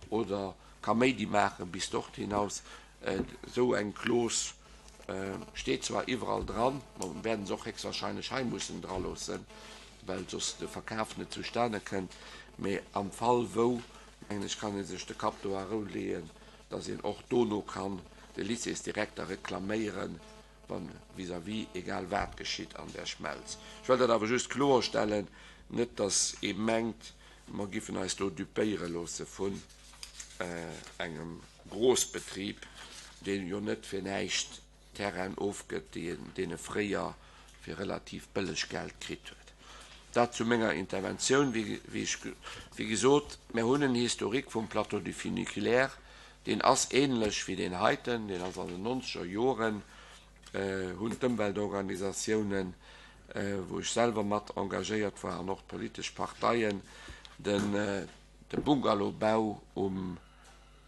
oder Kaméidi maachen bis dort hinaus. Esou eng Clause steet zwar iwwerall dran, mer wäerten se och héchstwahrscheinlech hei mussen draloossen, well soss de Verkaf net zustane kënnt, mee am Fall wou, mengen ech, kann ee sech de Kapp do a Rou leeën, dass een och dono kann de Lycéesdirekter reklaméieren, wann vis-à-vis egal wat geschitt an där Schmelz. Ech wëll dat awer just kloerstellen, net dass ee mengt, mer giffen eis do dupéiere loosse vun engem Grossbetrib, dee jo net fir näischt Terrainen ofgëtt, déi en deene fréier fir relativ bëlleg Geld kritt huet. Dat zu menger Interventioun. Wéi ech, wéi gesot, mer hunn en Historique vum Plateau du Funiculaire, deen ass ähnlech wéi deen heiten, deen ass an den nonzeger Joren, hunn d'Ëmweltorganisatiounen wou ech selwer mat engagéiert war an och d'politesch Parteien, den de Bungalowbau um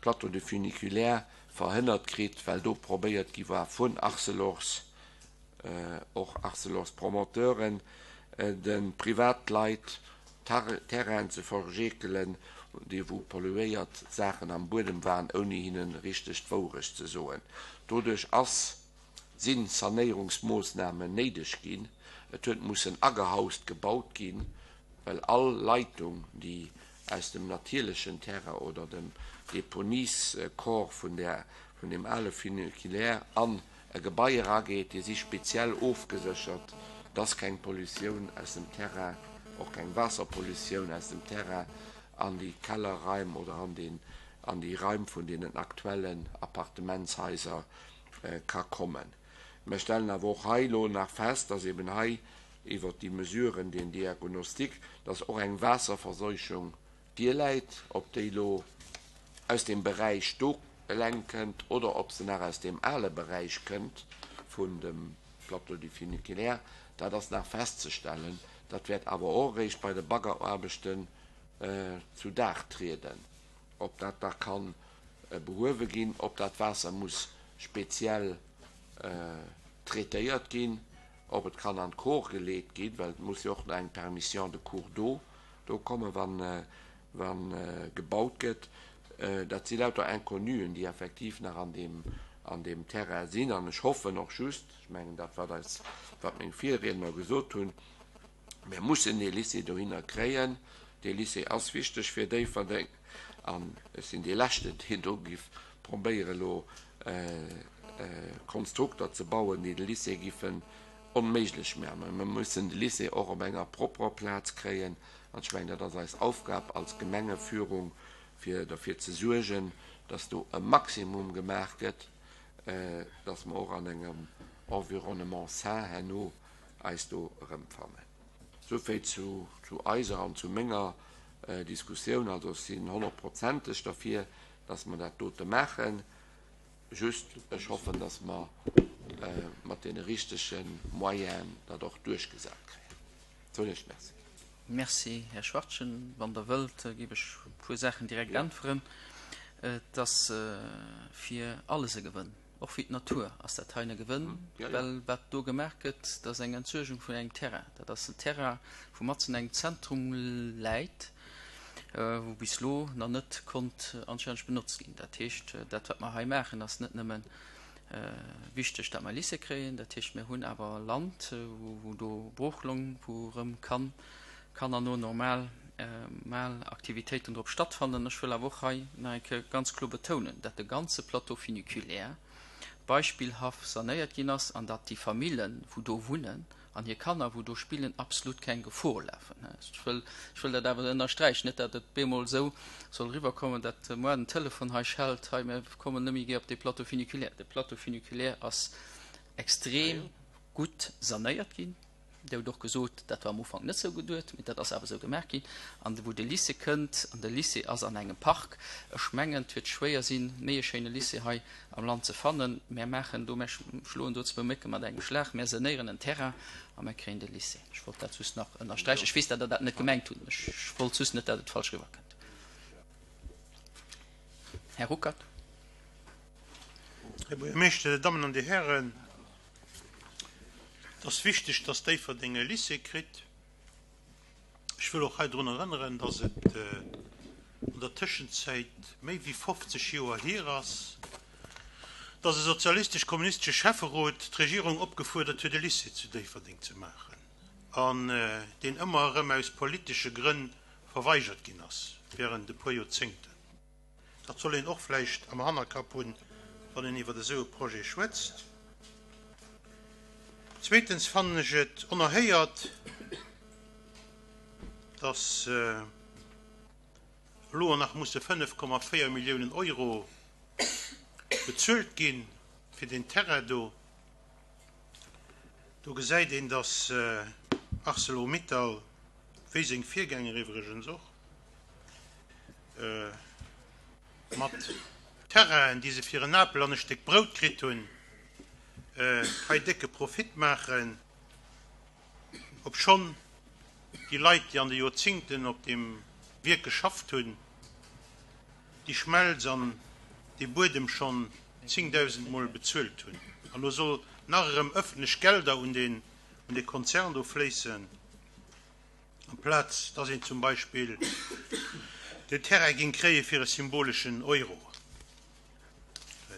Plateau de Funiculaire verhënnert kritt, well do probéiert gi war vun Arcelors, och Arcelors Promoteuren, de Privatleit Terrainen ze verjeekelen, déi wou polluéiert Saachen am Buedem waren, ouni hinnen richteg d'Wourecht ze soen. Doduerch ass, si Sanéierungsmoossnamen néideg ginn. Et huet mussen agehaust gebaut ginn, well all Leitung, déi aus dem natierlechen Terrain oder dem Deponiescorps vun der, vun dem ale Funiculaire an e Gebai erageet, déi si speziell ofgeséchert, dass keng Pollutioun aus dem Terrain, och keng Waasserpollutioun aus dem Terrain an déi Kellerraim oder an den, an déi Raim vun deenen aktuellen Appartementshaiser ka kommen. Mir stellen awer och hei elo nach fest, dass eben hei iwwert déi Mesuren, deen Diagnostic, dass och eng Waasserverseuchung virläit, ob déi elo aus dem Beräich do eleng kënnt oder ob se nach aus dem ale Beräich kënnt vun dem Plateau du Funiculaire, dat ass nach festzestellen. Dat wäert awer och eréischt bei de Baggeraarbechten zu Dag trieden, ob dat da kann behuewe ginn, ob dat Waasser muss speziell traitéiert ginn, ob et kann an d'Kor geleet ginn, well et muss jo och nach eng Permission de cours d'eau do kommen, wann wann gebaut gëtt. Dat si lauter Inconnuen, déi effektiv nach an deem an deem Terrain sinn. An ech hoffen och just, ech mengen dat wat eis, wat meng Virriedner gesot hunn, mir mussen dee Lycée dohinner kréien. Dee Lycée ass wichteg fir Déifferdeng an ech sinn dee Leschten, deen do giff probéieren elo Konstrukter ze bauen, déi de Lycée giffen onméiglech maachen. Mä mir mussen de Lycée och op enger propperer Plaz kréien. An ech mengen, dat ass eis Aufgab als Gemengeführung, fir derfir ze suergen, dass do e Maximum gemaach gëtt, dass mer och an engem Environnement sain herno eis do erëmfannen. Souvill zu eiser an zu menger Diskussioun. Also ech sinn honnertprozenteg derfir, dass mer dat dote maachen. Just, ech hoffen, dass mer mat deene richtege Moyenen dat och duerchgesat kréien. Soen Iech Merci. Merci, Här Schwachtgen. Wann Der wëllt, géif ech e puer Saachen direkt äntweren. Et ass fir alles e Gewënn. Och fir d'Natur ass dat hei e Gewënn, well wat do gemaach gëtt, dat ass eng Entsuergung vun engem Terrain. Dat ass en Terrain, wou matzen engem Zentrum läit, wou bis elo nach net konnt anstänneg benotzt ginn. Dat heescht, dat wat mer hei maachen, ass net nëmmen wichteg, dat mer e Lycée kréien. Dat heescht, mir hunn awer Land, wou do Broochloung, wou erëm kann kann an no normal mal Aktivitéiten drop stattfannen. Ech wëll awer och hei nach eng Kéier ganz kloer betounen, dat de ganze Plateau funiculaire beispillhaft sanéiert ginn ass an dat déi Famillen, wou do wunnen, an hir Kanner, wou do spillen, absolut keng Gefor lafen. Ech wëll, ech wëll dat awer ënnersträichen, net dat et bemol esou soll eriwwerkommen, dat muer den Telefon hei schellt, hei mir kommen net méi gär op dee Plateau funiculaire. De Plateau funiculaire ass extrem gutt sanéiert ginn. Dir hutt och gesot, dat war am Ufank net esou geduet, mee dat ass awer esou gemaach ginn. An wou de Lycée kënnt, an de Lycée ass an engem Park, ech mengen, et wäert schwéier sinn, méi e schéine Lycée hei am Land ze fannen. Mär maachen do, mär schloen do zwou Mécke mat engem Schlag, mär sanéieren en Terrain a mär kréien de Lycée. Ech wollt dat just nach ënnersträichen. Ech weess, datt Der dat net gemengt hutt. Ech wollt just net, datt et falsch eriwwerkënnt. Här Ruckert. Här Buergermeeschter, Dir Dammen an Dir Hären, et ass wichteg, dass Déifferdeng e Lycée kritt. Ech wëll och hei drun erënneren, dass et an der Tëschenzäit méi wéi fofzeg Joer hier ass, dass e sozialistesch-kommunistesche Schäfferot d'Regierung opgefuerdert huet, e Lycée zu Déifferdeng ze maachen, an deen ëmmer erëm aus politesche Grënn verweigert ginn ass während e puer Joerzéngten. Dat soll een och vläicht am Hannerkapp hunn, wann een iwwer esou e Projet schwätzt. Zweetens fannen ech et onerhéiert, dass elo nach musse fënnef Komma véier Milliounen Euro bezuelt gi fir deen Terrain do. Do gesäit een, dass Arcelor-Mittal, wéi seng Virgänger iwwregens och, mat Terrainen, déi se fir en Apel an e Stéck Brout kritt hunn, hei décke Profit maachen. Obschonn déi Leit, déi an de Joerzingten op deem Wierk geschafft hunn, déi Schmelz an dee Buedem schonn zéngdausend Mol bezuelt hunn. An elo soll nach erëm ëffentlech Gelder un deen, un dee Konzern do fléissen, amplaz dass een zum Beispill den Terrain géing kréie fir e symboleschen Euro.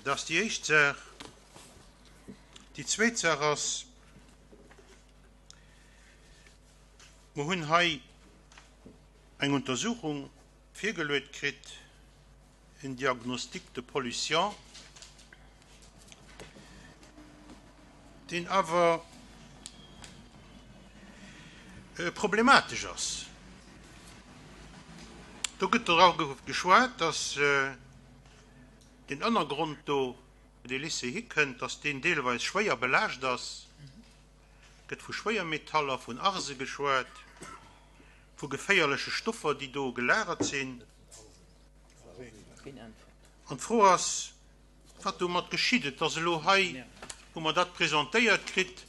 Dat ass déi éischt Saach. Déi zweet Saach ass, Mer hunn hei eng Untersuchung virgeluet kritt, en Diagnostic de pollution, deen awer problematesch ass. Do gëtt dra geschwat, dass deen Ënnergrond do, wou dee Lycée hikënnt, dass deen deelweis schwéier belaascht ass. Gëtt vu Schwéiermetaller, vun Arse geschwat, vu geféierleche Stoffer, déi do gelagert sinn. An d'Fro ass, wat domat geschitt. Et ass elo hei, wou mer dat presentéiert kritt,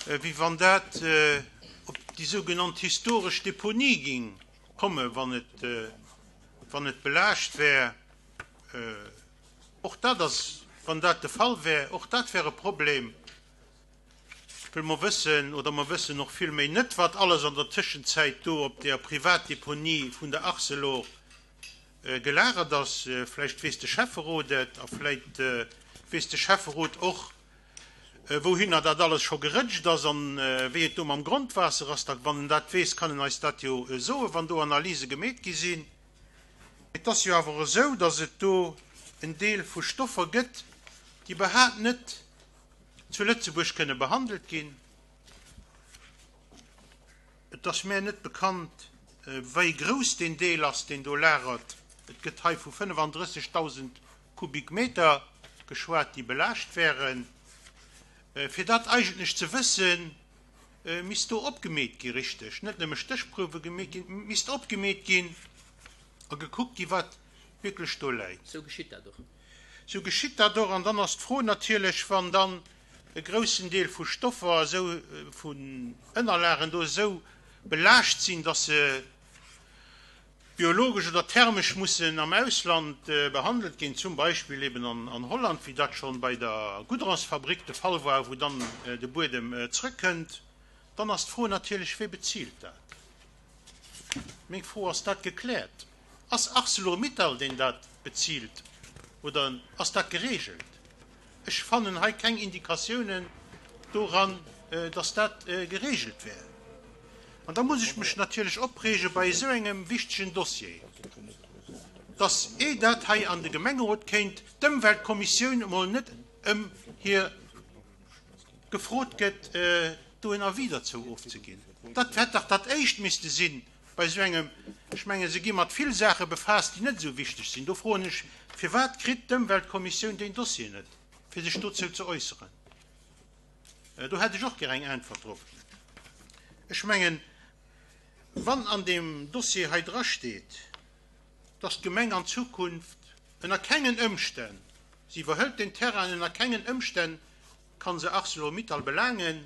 wéi wann dat op déi sougenannt historesch Deponie géing kommen, wann et, wann et belaascht wär. Och dat ass, wann dat de Fall wär, och dat wär e Problem. Well mer wëssen, oder mer wëssen och vill méi net, wat alles an der Tëschenzäit do op där Privatdeponie vun der Arcelor gelagert ass. Vläicht weess de Schäfferot et a vläicht weess de Schäfferot och, wouhinner dat alles scho gerëtscht ass an wéi et do mam Grondwaasser ass. Da wann en dat weess, kann en eis dat jo soen, wann do Analyse gemeet gi sinn. Et ass jo awer esou, datt et do en Deel vu Stoffer gëtt, déi iwwerhaapt net zu Lëtzebuerg kënne behandelt ginn. Et ass mär net bekannt, wéi grouss deen Deel ass, deen do lagert. Et gëtt hei vu fënnefandrëssegdausend Kubikmeter geschwat, déi belaascht wären. Fir dat eigentlech ze wëssen, misst do opgemeet gi richteg, net nëmme Stéchprouwe gemeet ginn, misst opgemeet ginn a gekuckt gi wat wierklech do läit. Sou geschitt dat och. Sou geschitt dat och. An dann ass d'Fro natierlech, wann dann e groussen Deel vu Stoffer esou, vun Ënnerlagen do esou belaascht sinn, dass se biologesch oder thermesch mussen am Ausland behandelt ginn, zum Beispill eben an Holland, wéi dat schonn bei der Goudronsfabrik de Fall war, wou dann de Buedem zrëckkënnt, dann ass d'Fro natierlech, Wie bezilt dat? Meng Fro, Ass dat gekläert? Ass Arcelor-Mittal, deen dat bezilt, oder ass dat geregelt? Ech fannen hei keng Indikatiounen doran, dass dat geregelt wär. An da muss ech mech natierlech opreege bei esou engem wichtegen Dossier, dass, eh dat hei an de Gemengerot kéint, d'Ëmweltkommissioun emol net ëm hir gefrot gëtt, do en Avis derzou ofzeginn. Dat hätt dach dat Éischt misste sinn bei esou engem, ech mengen, se gi mat vill Saache befaasst, déi net esou wichteg sinn. Do froen ech, Firwat kritt d'Ëmweltkommissioun deen Dossier net, fir sech dozou ze äusseren? Do hätt ech och gär eng Äntwert drop. Ech mengen, wann an deem Dossier hei drasteet, dass d'Gemeng an Zukunft ënner kengen Ëmstänn, si iwwerhëlt deen Terrain, ënner kengen Ëmstänn ka se Arcelor-Mittal belaangen,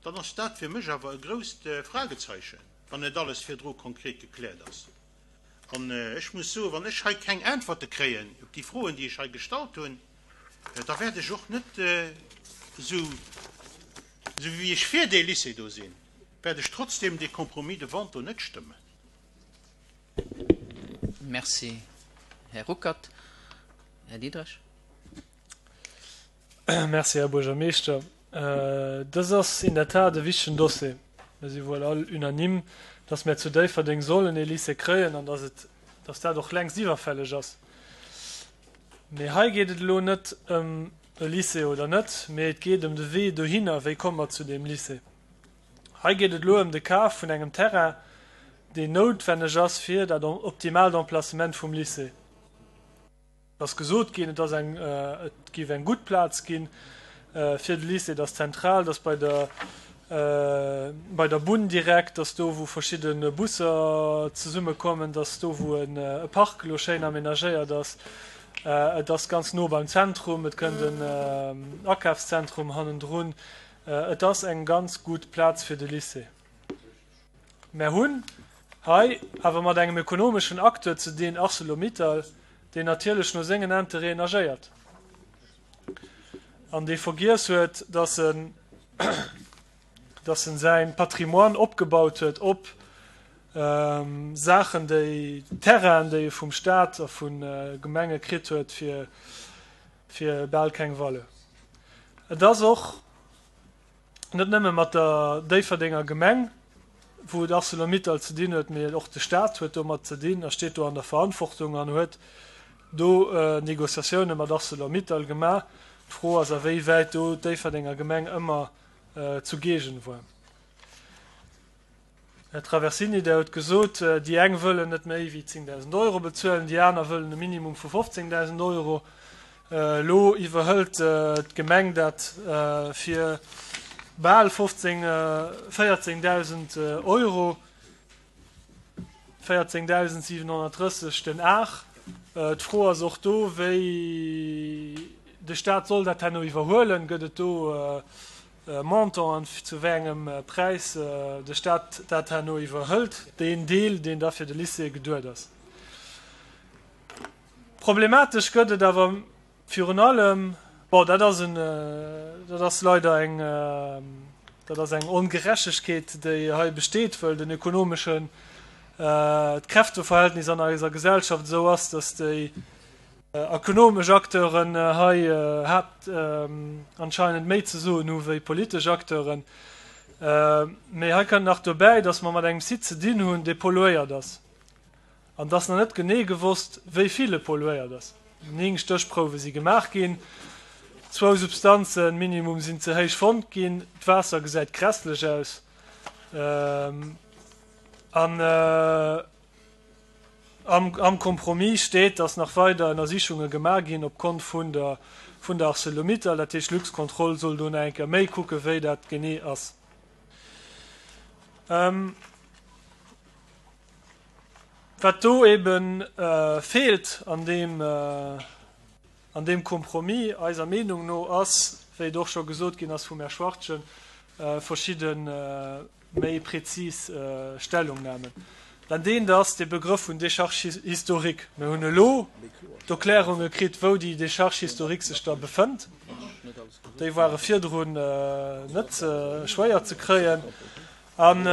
dann ass dat fir mech awer e grousst Fragezeichen, wann net alles virdru konkret gekläert ass. An ech muss soen, wann ech hei keng Äntwerte kréien op déi Froen, déi ech hei gestallt hunn, da wäert ech och net, esou wéi ech fir dee Lycée do sinn, wäert ech trotzdem dee Compromis de vente do net stëmmen. Merci, Här Ruckert. Här Diderich. Merci, Här Buergermeeschter. Dës ass in der Tat e wichtegen Dossier. Mir si wuel all unanime, dass mir zu Déifferdeng sollen ee Lycée kréien an dass et, dass dat och längst iwwerfälleg ass. Mee hei geet et elo net ëm e Lycée oder net, mee et geet ëm de Wee dohinner, wéi komme mer zu deem Lycée. Hei geet et elo ëm de Kaf vun engem Terrain, deen noutwenneg ass fir dat optimaalt Emplacement vum Lycée. Et ass gesot ginn, et ass eng, et géif eng gutt Plaz gi fir de Lycée, et ass zentral, et ass bei der, bei der Bunn direkt, et ass do, wou verschidde Busser zesummekommen, et ass do, wou e Park elo schéin aménagéiert ass, et ass ganz no beim Zentrum, et kënnt en Akafszentrum hannendrun. Et ass eng ganz gutt Plaz fir de Lycée. Mär hunn hei awer mat engem ökonomeschen Acteur ze dinn, Arcelor-Mittal, deen natierlech no sengen Intérêten agéiert an dee vergiess huet, dass en, dass en säin Patrimoine opgebaut huet op Saachen, déi, Terrainen, déi e vum Stat a vu Gemenge kritt huet fir, fir bal keng Valeur. Et ass och net nëmme mat der Déifferdenger Gemeng, wou et Arcelor-Mittal ze dinn huet, mee och de Stat huet domat ze dinn a steet do an der Verantwortung an huet do Négociatioune mat Arcelor-Mittal gemaach. D'Fro ass, a wéi wäit do d'Déifferdenger Gemeng ëmmer zugegen war. Här Traversini, Der hutt gesot, déi eng wëllen net méi wéi zéngdausend Euro bezuelen, déi aner wëllen e Minimum vu fofzéngdausend Euro. Elo iwwerhëlt d'Gemeng dat fir bal fofzéng, véierzéngdausend Euro, véierzéngdausendsiwenhonnertdrësseg den Ar. D'Fro ass och do, wéi de Stat soll dat herno iwwerhuelen. Gëtt et do Montant an zu wéi engem Präis de Stat dat herno iwwerhëlt, deen Deel, deen da fir de Lycée geduet ass. Problematesch gëtt et awer virun allem, bon, dat ass en, dat ass leider eng, dat ass eng Ongerechtegkeet, déi hei besteet, wëll den ökonomeschen, d'Kräfteverhältnis an eiser Gesellschaft esou ass, dass déi Ökonomesch Acteuren hei haapt anscheinend méi ze soen hu wéi politesch Acteuren. Mee hei kënnt nach dobäi, datt mer mat engem Site ze dinn hunn, dee polluéiert ass. An et ass nach net genee gewosst, wéi vill e polluéiert ass. Néng Stéchprouwe si gemaach ginn. Zwou Substanzen minimum sinn ze héich fonnt ginn. D'Waasser gesäit grässlech aus. An. Am Compromis steet, datt nach weider Ënnersichunge gemaach ginn op Kont vun der vun der Arcelor-Mittal. Dat heescht, Luxcontrol soll do nach eng Kéier méi kucken, wéi dat genee ass. Wat do ebe feelt an deem an deem Compromis, eiser Meenung no, ass, wéi et och scho gesot ginn ass vum Här Schwachtgen, verschidde méi prezis Stellungnahmen. Dat eent ass de Begrëff vun Décharge historique. Mir hunn elo d'Erklärunge kritt, wou déi Décharge historique sech da befënnt. Déi ware virdrun net schwéier ze kréien. An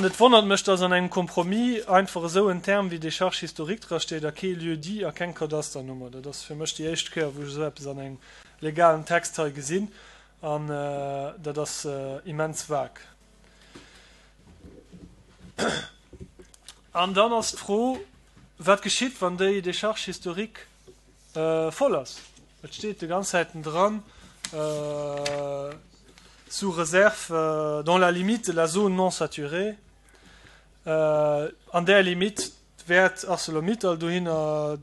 et wonnert mech, dass an engem Compromis einfach esou en Term wéi Décharge historique drasteet a kee Lieu-dit a keng Kadasternummer. Dat ass fir mech déi éischt Kéier, wou ech esou eppes an engem legalen Text hei gesinn. An dat ass immens vag. An dann ass d'Fro, wat geschitt, wann déi Décharge historique voll ass? Et steet de ganz Zäiten dran, sous réserve, dans la limite de la zone non saturée. An där Limite wäert Arcelor-Mittal dohinner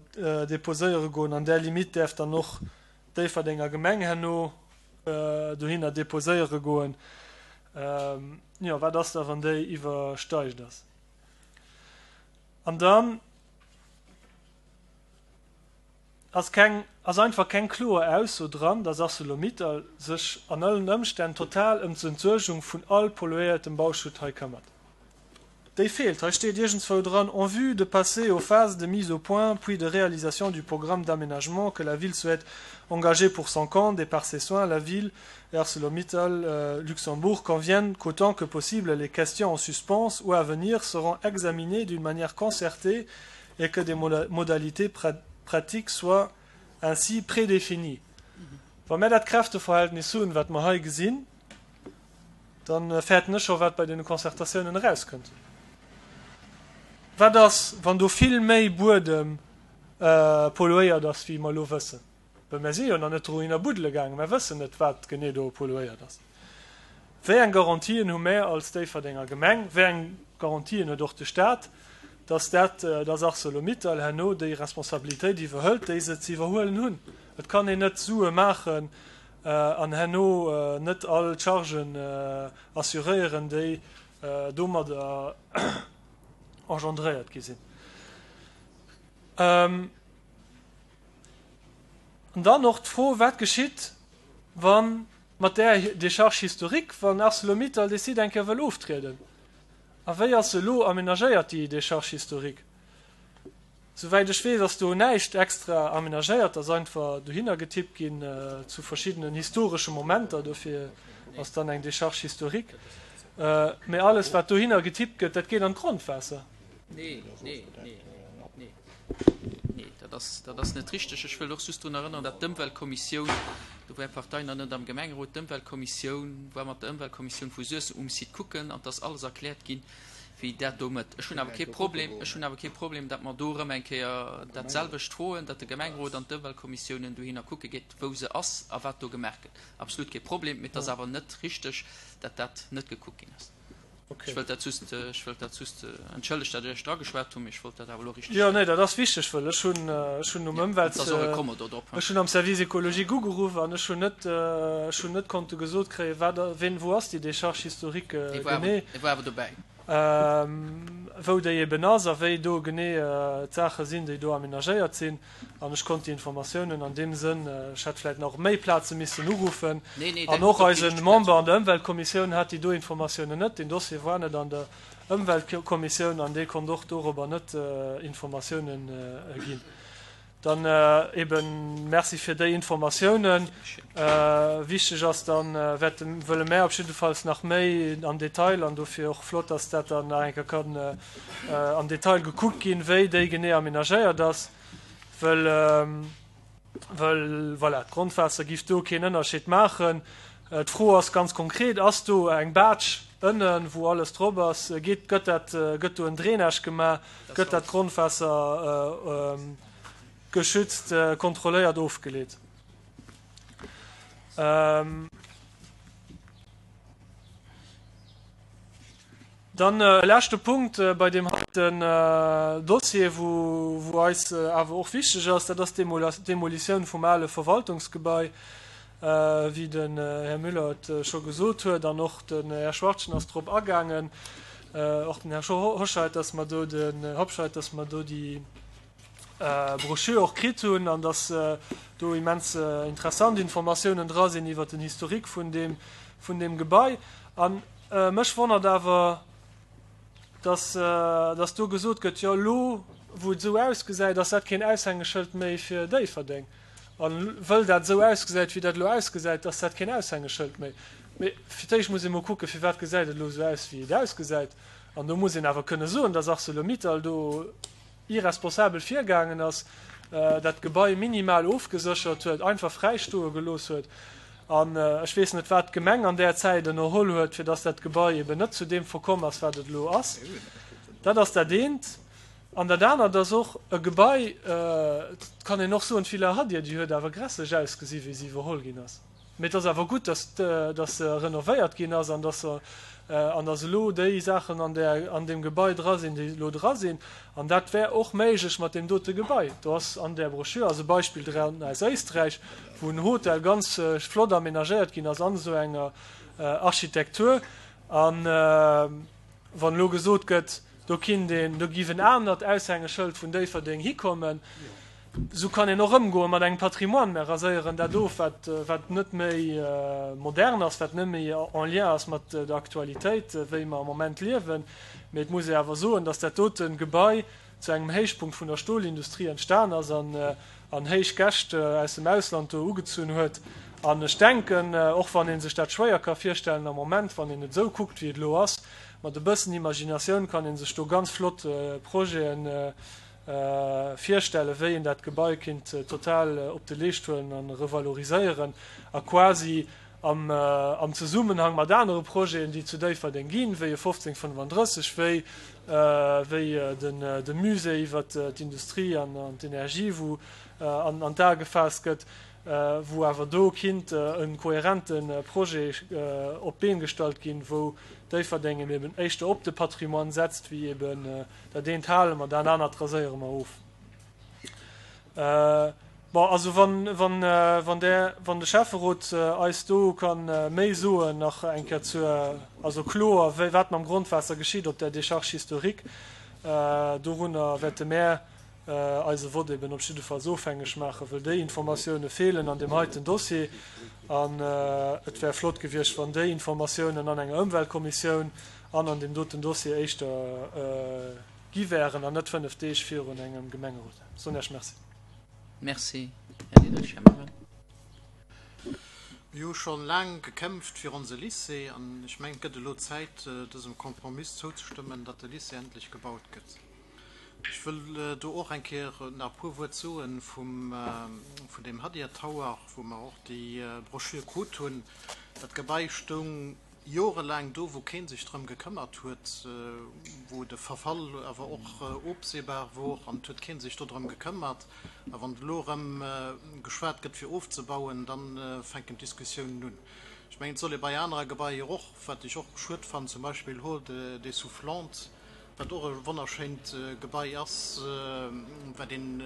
déposéiere goen. An där Limite däerf dann och d'Déifferdenger Gemeng herno dohinner déposéiere goen. Jo, wat ass da, wann déi iwwersteigt ass? An dann ass keng, ass einfach keng kloer Ausso dran, dass Arcelor-Mittal sech an allen Ëmstänn total ëm d'Entsuergung vun all polluéiertem Bauschutt hei këmmert. Déi feelt. Hei steet iergendzwou dran, En vue de passer aux phases de mise au point puis de réalisation du programme d'aménagement que la ville souhaite engager pour son compte et par ses soins, la ville et ArcelorMittal Luxembourg conviennent qu'autant que possible les questions en suspens ou à venir seront examinées d'une manière concertée et que des modalités pratiques soient ainsi prédéfinies. Wa mär dat Kräfteverhältnis hunn, wat mer hei gesinn, Da fäerten ech scho wat bei deene Concertatiounen erauskënnt. Wat ass, wann do vill méi Buedem polluéiert ass, wéi mer elo wëssen? Well mer si jo nach net dohinner buddele gaangen, mer wëssen net, wat genee do polluéiert ass. Wéi eng Garantien hu mär als Déifferdenger Gemeng, wéi eng Garantien huet och de Stat, dass dat, dass Arcelor-Mittal herno déi Responsabilitéit iwwerhëlt, déi se ze iwwerhuelen hunn? Et kann een net Sue maachen an herno net all d'Chargen assuréieren, déi domadder engendréiert gi sinn. An dann och d'Fro, Wat geschitt, Wann mat där Décharge historique, wann ArcelorMittal dee Site eng Kéier wëll oftrieden? A wéi ass se elo amenagéiert, déi Décharge historique? Souwäit ech weess, ass do näischt extra amenagéiert, ass einfach dohinner getippt ginn zu verschiddenen historesche Momenter, dofir ass dann eng Décharge historique. Mä alles, wat dohinner getippt gëtt, dat geet an d'Grondwaasser. Nee, nee, nee, nee, nee, dat ass, dat ass net richteg. Ech wëll och just drun erënneren, datt d'Ëmweltkommissioun, do war Är Partei nach net am Gemengerot, d'Ëmweltkommissioun war mat der Ëmweltkommissioun vu Suessem um Site kucken an 't ass alles erkläert ginn, wéi dat do mëtt. Ech hunn awer kee Problem, ech hunn awer kee Problem, datt mer do erëm eng Kéier dat selwecht froen, datt de Gemengerot an d'Ëmweltkommissiounen dohinner kucke geet, wou se ass a wat do gemaach gëtt. Absolut kee Problem, mee et ass awer net richteg, datt dat net gekuckt ginn ass. Ech wëllt dat just, ech wëllt dat just, entschëllegt, datt ech Iech drageschwat hunn, mee ech wollt dat awer elo richteg Jo, nee, dat ass wichteg, wëll ech hunn, ech hunn um Ëmwelt, ech hunn am Service écologique ugeruff an ech hunn net, ech hunn net konnte gesot kréien, wat, ween, wou ass déi Décharge historique genee. Dee war awer dobäi. Wou déi eben ass a wéi do genee d'Saache sinn, déi do aménagéiert sinn. An ech konnt déi Informatiounen an deem Sënn, ech hätt vläicht nach op méi Plaze missen uruffen, an och eise Member an der Ëmweltkommissioun hat déi do Informatiounen net. Deen Dossier war net an der Ëmweltkommissioun an dee konnt och dorobber net Informatiounen ginn. Dann eben Merci fir déi Informatiounen. Wichteg ass dann, wäerte wëlle mär op jiddefalls nach méi am Detail, an dofir och flott, dass dat dann nach eng Kéier kann am Detail gekuckt ginn, wéi déi genee aménagéiert ass, wëll, wëll voilà, d'Grondwaasser giff do keen Ënnerscheed maachen. D'Fro ass ganz konkret, Ass do eng Baatsch ënnen, wou alles drop ass? Geet, gëtt dat, gëtt do en Drainage gemaach? Gëtt dat Grondwaasser geschützt, kontrolléiert ofgeleet? Dann e leschte Punkt bei deem heiten Dossier, wou, wou eis awer och wichteg ass, dat ass d'Demolitioun vum ale Verwaltungsgebai, wéi den Här Müller et scho gesot huet an och den Här Schwachtgen ass drop agaangen, och den Här Hoscheit, dass mer do den Hobscheit, dass mer do déi Broschür och kritt hunn an dass do immens interessant Informatiounen dra sinn iwwert den Historique vun deem, vun deem Gebai. An mech wonnert awer, dass, dass do gesot gëtt, jo elo wou et esou ausgesäit, ass dat keen Aushängeschëld méi fir Déifferdeng. A wëll dat esou ausgesäit, wéi dat elo ausgesäit, ass dat keen Aushängeschëld méi. Mee fir d'éischt muss ee mol kucken, firwat gesäit et elo esou aus, wéi et ausgesäit. An do muss een awer kënne soen, dass Arcelor-Mittal do irresponsabel virgaangen ass, dat Gebai minimal ofgeséchert huet, einfach fräi stoe gelooss huet. An ech weess net, wat d'Gemeng an där Zäit ënnerholl huet, fir dass dat Gebai eben net zu deem verkomm ass, wat et elo ass. Dat ass dat eent. An dat anert ass och e Gebai, et kann een och soen, d'Villa Hadir, déi huet awer grässlech ausgesi wéi se iwwerholl ginn ass. Mee et ass awer gutt, dass, dass se renovéiert ginn ass an dass se, an dass elo déi Saachen an där, an deem Gebai dra sinn, déi elo dra sinn. An dat wär och méiglech mat deem dote Gebai. Do ass an där Broschür ass e Beispill dran aus Éisträich, wou en Hotel ganz flott aménagéiert ginn ass an esou enger Architektur. An wann elo gesot gëtt, do kinnt een, do giff en anert Aushängeschëld vun Déifferdeng hikommen, Esou kann een och ëmgoe mat engem Patrimoine. Mer raséieren dat of, wat, wat net méi modern ass, wat net méi en lien ass mat der Aktualitéit, wéi mer am Moment liewen. Mee et muss ee awer soen, dass dat dote Gebai zu engem Héichpunkt vun der Stolindustrie entstan ass an, an héich Gäscht aus dem Ausland do ugezunn huet. An ech denken, och wann ee sech dat schwéier ka virstellen am Moment, wann een et esou kuckt, wéi et elo ass, mat e bëssen Imaginatioun kann ee sech do ganz flott Projeten virstellen, wéi een dat Gebai kinnt total op de Leescht huelen a revaloriséieren a quasi am am Zesummenhang mat anere Projeten, déi zu Déifferdeng ginn, wéi e fofzéng fënnefandrësseg, wéi wéi den de Musée iwwert d'Industrie an an d'Energie, wou an an d'A gefaasst gëtt, wou awer do kinnt e kohärente Projet op d'Been gestallt ginn, wou Déifferdeng eben éischter op de Patrimoine setzt wéi eben Dat eent hale mer, dat anert raséiere mer of. Bon, also wann, wann, wann där, wann de Schäfferot eis do ka méi soen nach eng Kéier zur, also kloer, wéi, wat mam Grondwaasser geschitt op där Décharge historique, dorunner wäerte mär eise Vott eben op jiddefalls ofhängeg maachen, wëll déi Informatioune feelen an deem heiten Dossier. An et wär flott gewiescht, wann déi Informatiounen an enger Ëmweltkommissioun an an deem doten Dossier éischter gi wären an net fënnef Deeg virun engem Gemengerot. Soen Iech Merci. Merci, Här Diderich. Här Mangen. Mir hu scho laang gekämpft fir onse Lycée an ech mengen, et gëtt elo Zäit, dësem Compromiss zouzestëmmen, datt de Lycée endlech gebaut gëtt. Ech wëll do och eng Kéier nach e puer Wuert soe vum, vun deem Hadir Tower, wou mer och déi Broschür krut hunn. Dat Gebai stoung jorelaang do, wou kee sech drëm gekëmmert huet, wou de Verfall awer och ofsehbar wor an et huet kee sech do drëm gekëmmert. A wann elo erëm geschwat gëtt fir ofzebauen, da fänken d'Diskussiounen un. Ech mengen, et soll ee bei anerer Gebaier och, wat ech och schued fannen, zum Beispill Hall des Soufflantes, wat och e wonnerschéint Gebai ass, wat een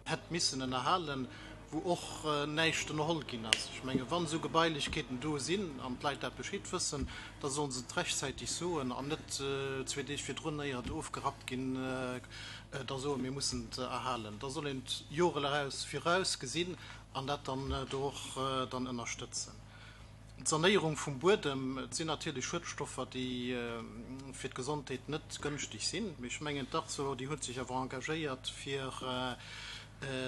hätt missen ënnerhalen, wou och näischt ënnerholl ginn ass. Ech mengen, wann esou Gebailechkeeten do sinn an d'Leit dat Bescheed wëssen, da sollen se et rechtzäiteg soen an net zwee Deeg virdrun, éier et ofgerappt ginn, da soen, mir mussen et erhalen. Da soll een et Jore eraus viraus gesinn an dat dann do och dann ënnerstëtzen. D'Sanéierung vum Buedem, et sinn natierlech Schuedstoffer, déi fir d'Gesondheet net gënschteg sinn, mee ech mengen, d'Arcelor, déi huet sech awer engagéiert, fir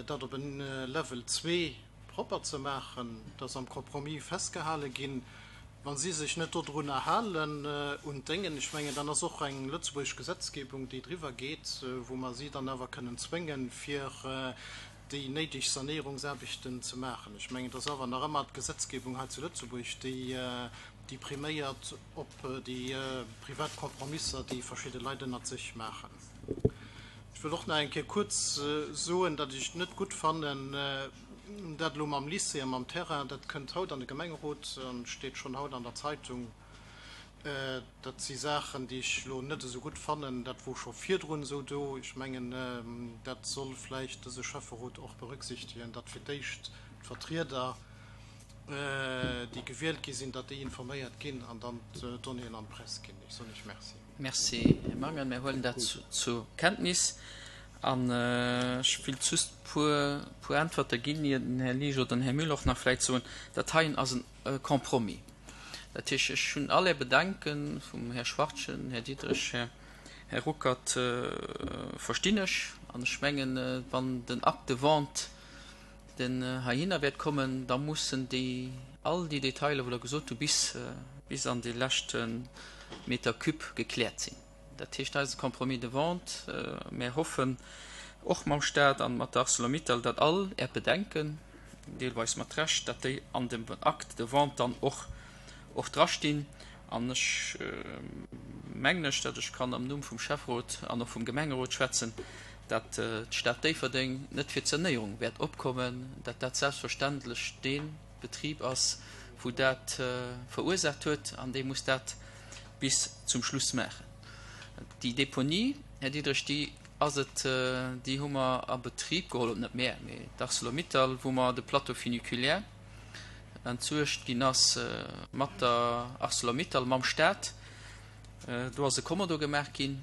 dat op en Level zwee propper ze maachen. Dat ass am Compromis festgehale ginn. Wa si sech net dodrunner halen, un d'Déngen, ech mengen, dann ass och eng lëtzebuergesch Gesetzgebung, déi driwwer geet, wou mer si dann awer kënnen zwéngen, fir déi néideg Sanéierungsaarbechten ze maachen. Ech mengen, et ass awer nach ëmmer d'Gesetzgebung hei zu Lëtzebuerg, déi, déi priméiert op déi privat Kompromisser, déi verschidde Leit ënnert sech maachen. Ech wëll och nach eng Kéier kuerz soen, datt ech et net gutt fannen, dat elo mam Lycée a mam Terrain, dat kënnt haut an de Gemengerot an steet schonn haut an der Zeitung. Dat si Saachen, déi ech elo net esou gutt fannen. Dat wor scho virdrun esou do. Ech mengen, dat soll vläicht dëse Schäfferot och berücksichtegen, datt fir d'éischt d'Vertrieder, déi gewielt gi sinn, datt déi informéiert ginn an dann d'Donnéeën an d'Press ginn. Ech soen Iech Merci. Merci, Här Mangen. Mir huelen dat zur Kenntnis. An ech wéilt just e puer Äntwerte ginn, ier den Här Liesch oder den Här Müller och nach vläicht soen, dat heien ass e Compromis. Dat heescht, ech hunn all Är Bedenke vum Här Schwachtgen, Här Diderich, Här Ruckert verstinn ech. An ech mengen, wann den Acte de vente, deen heihinner wäert kommen, da mussen déi, all déi Detailer, wou Der gesot hutt, bis, bis an dee leschte Meter cube gekläert sinn. Dat heescht, eise Compromis de vente, mär hoffen och mam Stat an mat der Arcelor-Mittal, datt all Är Bedenken, deelweis mat Recht, datt déi an dem Acte de vente dann och och drastinn. An ech mengen ech, datt ech kann am Numm vum Schäfferot an och vum Gemengerot schwätzen, datt d'Stad Déifferdeng net fir d'Sanéierung wäert opkommen, datt dat selbstverständlech dee Betrib ass, wou dat verursaacht huet, an dee muss dat bis zum Schluss maachen. Déi Deponie, Här Diderich, déi ass et, déi hu mer a Betrib geholl, net mär, mee d'Arcelor-Mittal, wou mer de Plateau funiculaire entsuergt ginn ass mat der Arcelor-Mittal, mam Stat. Do ass e Kommodo gemaach ginn,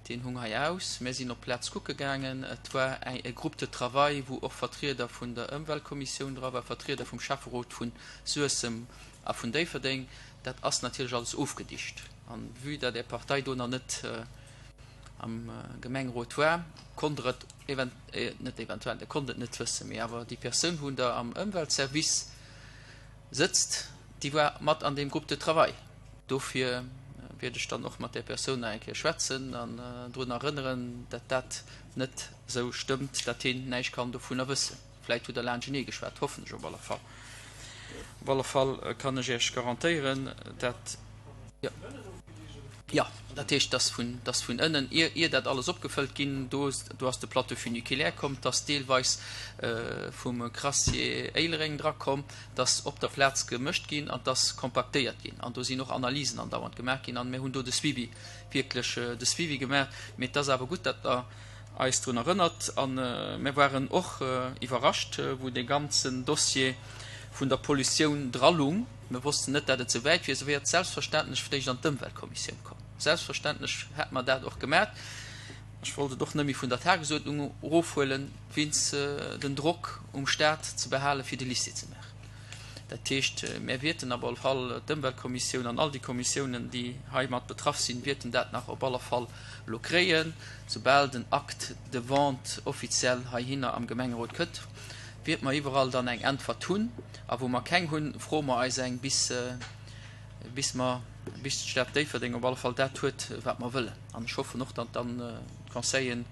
deen hung hei aus. Mär sinn op d'Plaz kucke gaangen. Et war e Groupe de travail, wou och Vertrieder vun der Ëmweltkommissioun dra war, Vertrieder vum Schäfferot vu Suessem a vun Déifferdeng. Dat ass natierlech alles ofgedicht. An vue datt Är Partei do nach net am Gemengerot war, konnt Der et event, net eventuell, Der konnt et net wëssen, mee awer déi Persoun, wou Der am Ëmweltservice sëtzt, déi war mat an deem Groupe de travail. Dofir wäert ech dann och mat där Persoun nach eng Kéier schwätzen an drun erënneren, datt dat net esou stëmmt, datt hien näischt kann dovunner wëssen. Vläit hutt Der laanschtenee geschwat, hoffen ech op alle Fall. Op alle Fall kann ech Iech garantéieren, dat. Jo, dat heescht, dass vun, dass vun ënnen, ier, ier dat alles opgefëllt ginn, do, do ass de Plateau funiculaire komm, 't ass deelweis vum Crassier Éilereng drakomm, 't ass op der Plaz gemëscht ginn an 't ass kompaktéiert ginn. An do sinn och Analysen andauernd gemaach ginn an mir hunn do de Suivi, wierklech de Suivi gemaach. Mee 't ass awer gutt, datt Der eis drun erënnert. A mir waren och iwwerrascht, wou dee ganzen Dossier vun der Pollutioun dralung. Mir wossten net, dat et esou wäit wier. Se wier selbstverständlech vléicht an d'Ëmweltkommissioun komm. Selbstverständlech hätt mer dat och gemat. Ech wollt et och net méi vun der Tagesuerdnung erofhuelen, wéinst den Drock um Stat ze behalen, fir de Lycée ze maachen. Dat heescht, mär wierten op alle Fall, d'Ëmweltkommissioun an all déi Kommissiounen, déi heimat betraff sinn, wierten dat nach op alle Fall elo kréien, soubal den Acte de vente offiziell heihinner am Gemengerot kënnt, wiert mer iwwerall dann eng Äntwert hunn. A wou mer keng hunn, froe mer eis eng, bis, bis mer, bis d'Stad Déifferdeng op alle Fall dat huet, wat mer wëllen. An ech hoffen och, datt dann d'Conseillen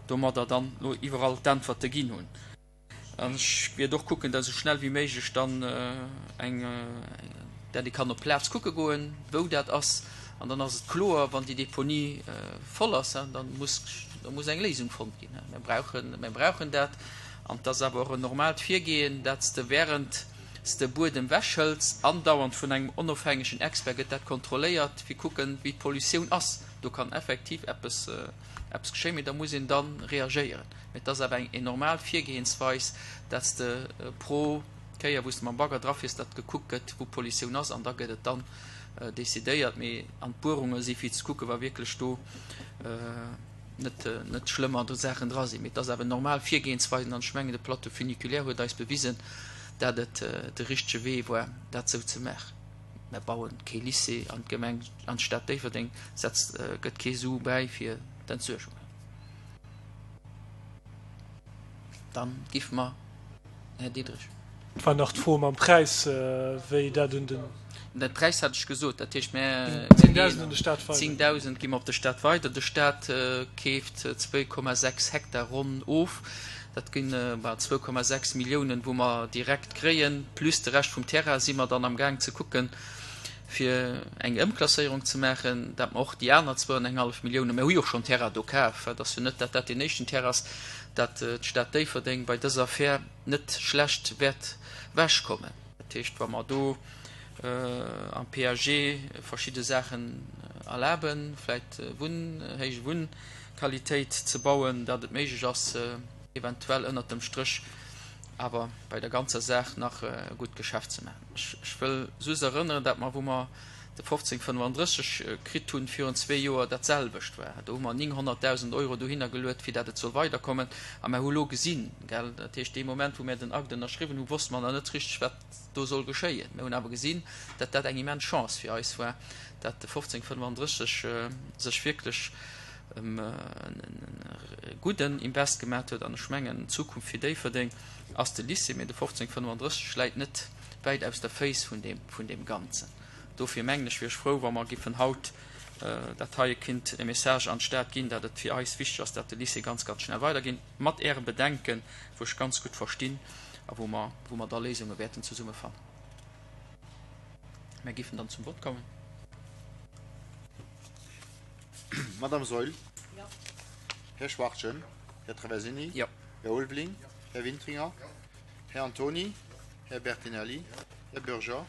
domadder dann elo iwwerall d'Äntwerte ginn hunn. An ech wäert och kucken, datt esou schnell wéi méiglech dann eng, dat ee kann op d'Plaz kucke goen, wou dat ass. An dann ass et kloer, wann déi Deponie voll ass, da muss, da muss eng Léisung fonnt ginn. Mir brauchen, mir brauchen dat. An et ass awer och en normaalt Virgehen, dat s de während s de Buedem wechhëls, andauernd vun engem onofhängegen Expert gëtt dat kontrolléiert, fir kucken, wéi d'Pollutioun ass. Do kann effektiv eppes, eppes geschéien, mee da muss een da reagéieren. Mee et ass awer eng normal Virgehensweis, dat s de pro Kéier, wou s de mam Bagger drafiers, datt gekuckt gëtt, wou d'Pollutioun ass, an da gëtt et dann decidéiert. Mee an d'Buerunge si fir ze kucken, wa wierklech do net, net schlëmmer Saachen dra sinn. Mee et ass awer normal Virgehensweisen, an ech mengen, de Plateau funiculaire huet eis bewisen, dat et de richtege Wee war, dat esou ze maachen. Mer bauen kee Lycée an d'Gemeng, an d'Stad Déifferdeng setzt, gëtt kee Su bäi fir d'Entsuergung. Dann giff mer, Här Diderich. Et war nach d'Fro mam Präis, wéi dat un den. De Präis hat ech gesot. Dat heescht, mir Zéngdausend un de Stat weider. Zéngdausend gi mer op de Stat weider. De Stat keeft zwee Komma sechs Hektar ronn of. Dat ginn bal zwou Komma sechs Milliounen, wou mer direkt kréien, plus de Rescht vum Terrain si mer dann amgaang ze kucken, fir eng Ëmklasséierung ze maachen, dat mer och déi aner zwou an eng hallef Milliounen, mir hu jo och schonn Terrain do kaf, et ass jo net, dat dat deen éischten Terrain ass, dat d'Stad Déifferdeng bei dëser Affär net schlecht wäert ewechkommen. Dat heescht, wa mer do am P A G verschidde Saachen erlaben, vläicht Wunn, héich Wunnqualitéit ze bauen, dat et méiglech ass, eventuell ënnert dem Stréch awer bei der ganzer Saach nach e gutt Geschäft ze maachen. Ech wëll just erënneren, dat mer, wou mer de fofzéng fënnefandrësseg kritt hunn virun zwee Joer, dat selwecht war. Do hu mer nénghonnertdausend Euro dohinner geluet, fir dat et soll weiderkommen. A mer hu lo gesinn, gell, dat heescht, dee Moment, wou mir den Akt ënnerschriwwen hunn, wosste mer nach net richteg, wat do soll geschéien. Mir hunn awer gesinn, dat dat eng immens Chance fir eis war, dat de fofzéng fënnefandrësseg sech wierklech e gudden Invest gemaat huet. An ech mengen, d'Zukunft fir Déifferdeng ass de Lycée, mee de fofzéng fënnefandrësseg läit net wäit aus der Féiss vun deem, vun deem Ganzen. Dofir mengen ech, wier ech frou, wa mer giffen haut dat heie kinnt e Message an d'Stad ginn, dat et fir eis wichteg ass, dat de Lycée ganz, ganz schnell weiderginn, mat Äre Bedenken, wou ech ganz gutt verstinn a wou mer, wou mer da Léisunge wäerten zesumme fannen. Mer giffen dann zum Vott kommen. Madame Saeul. Jo. Här Schwachtgen. Här Traversini. Jo. Här Ulveling. Här Wintringer. Här Antony. Här Bertinelli. Här Bürger.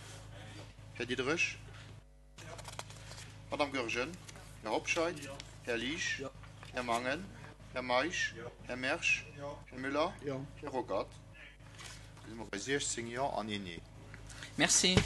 Här Diderich. Madame Goergen. Här Hobscheit. Här Liesch. Här Mangen. Här Meisch. Här Mersch. Här Müller. Här Ruckert. Da si mer bei siechzéng Jo an een Nee. Merci.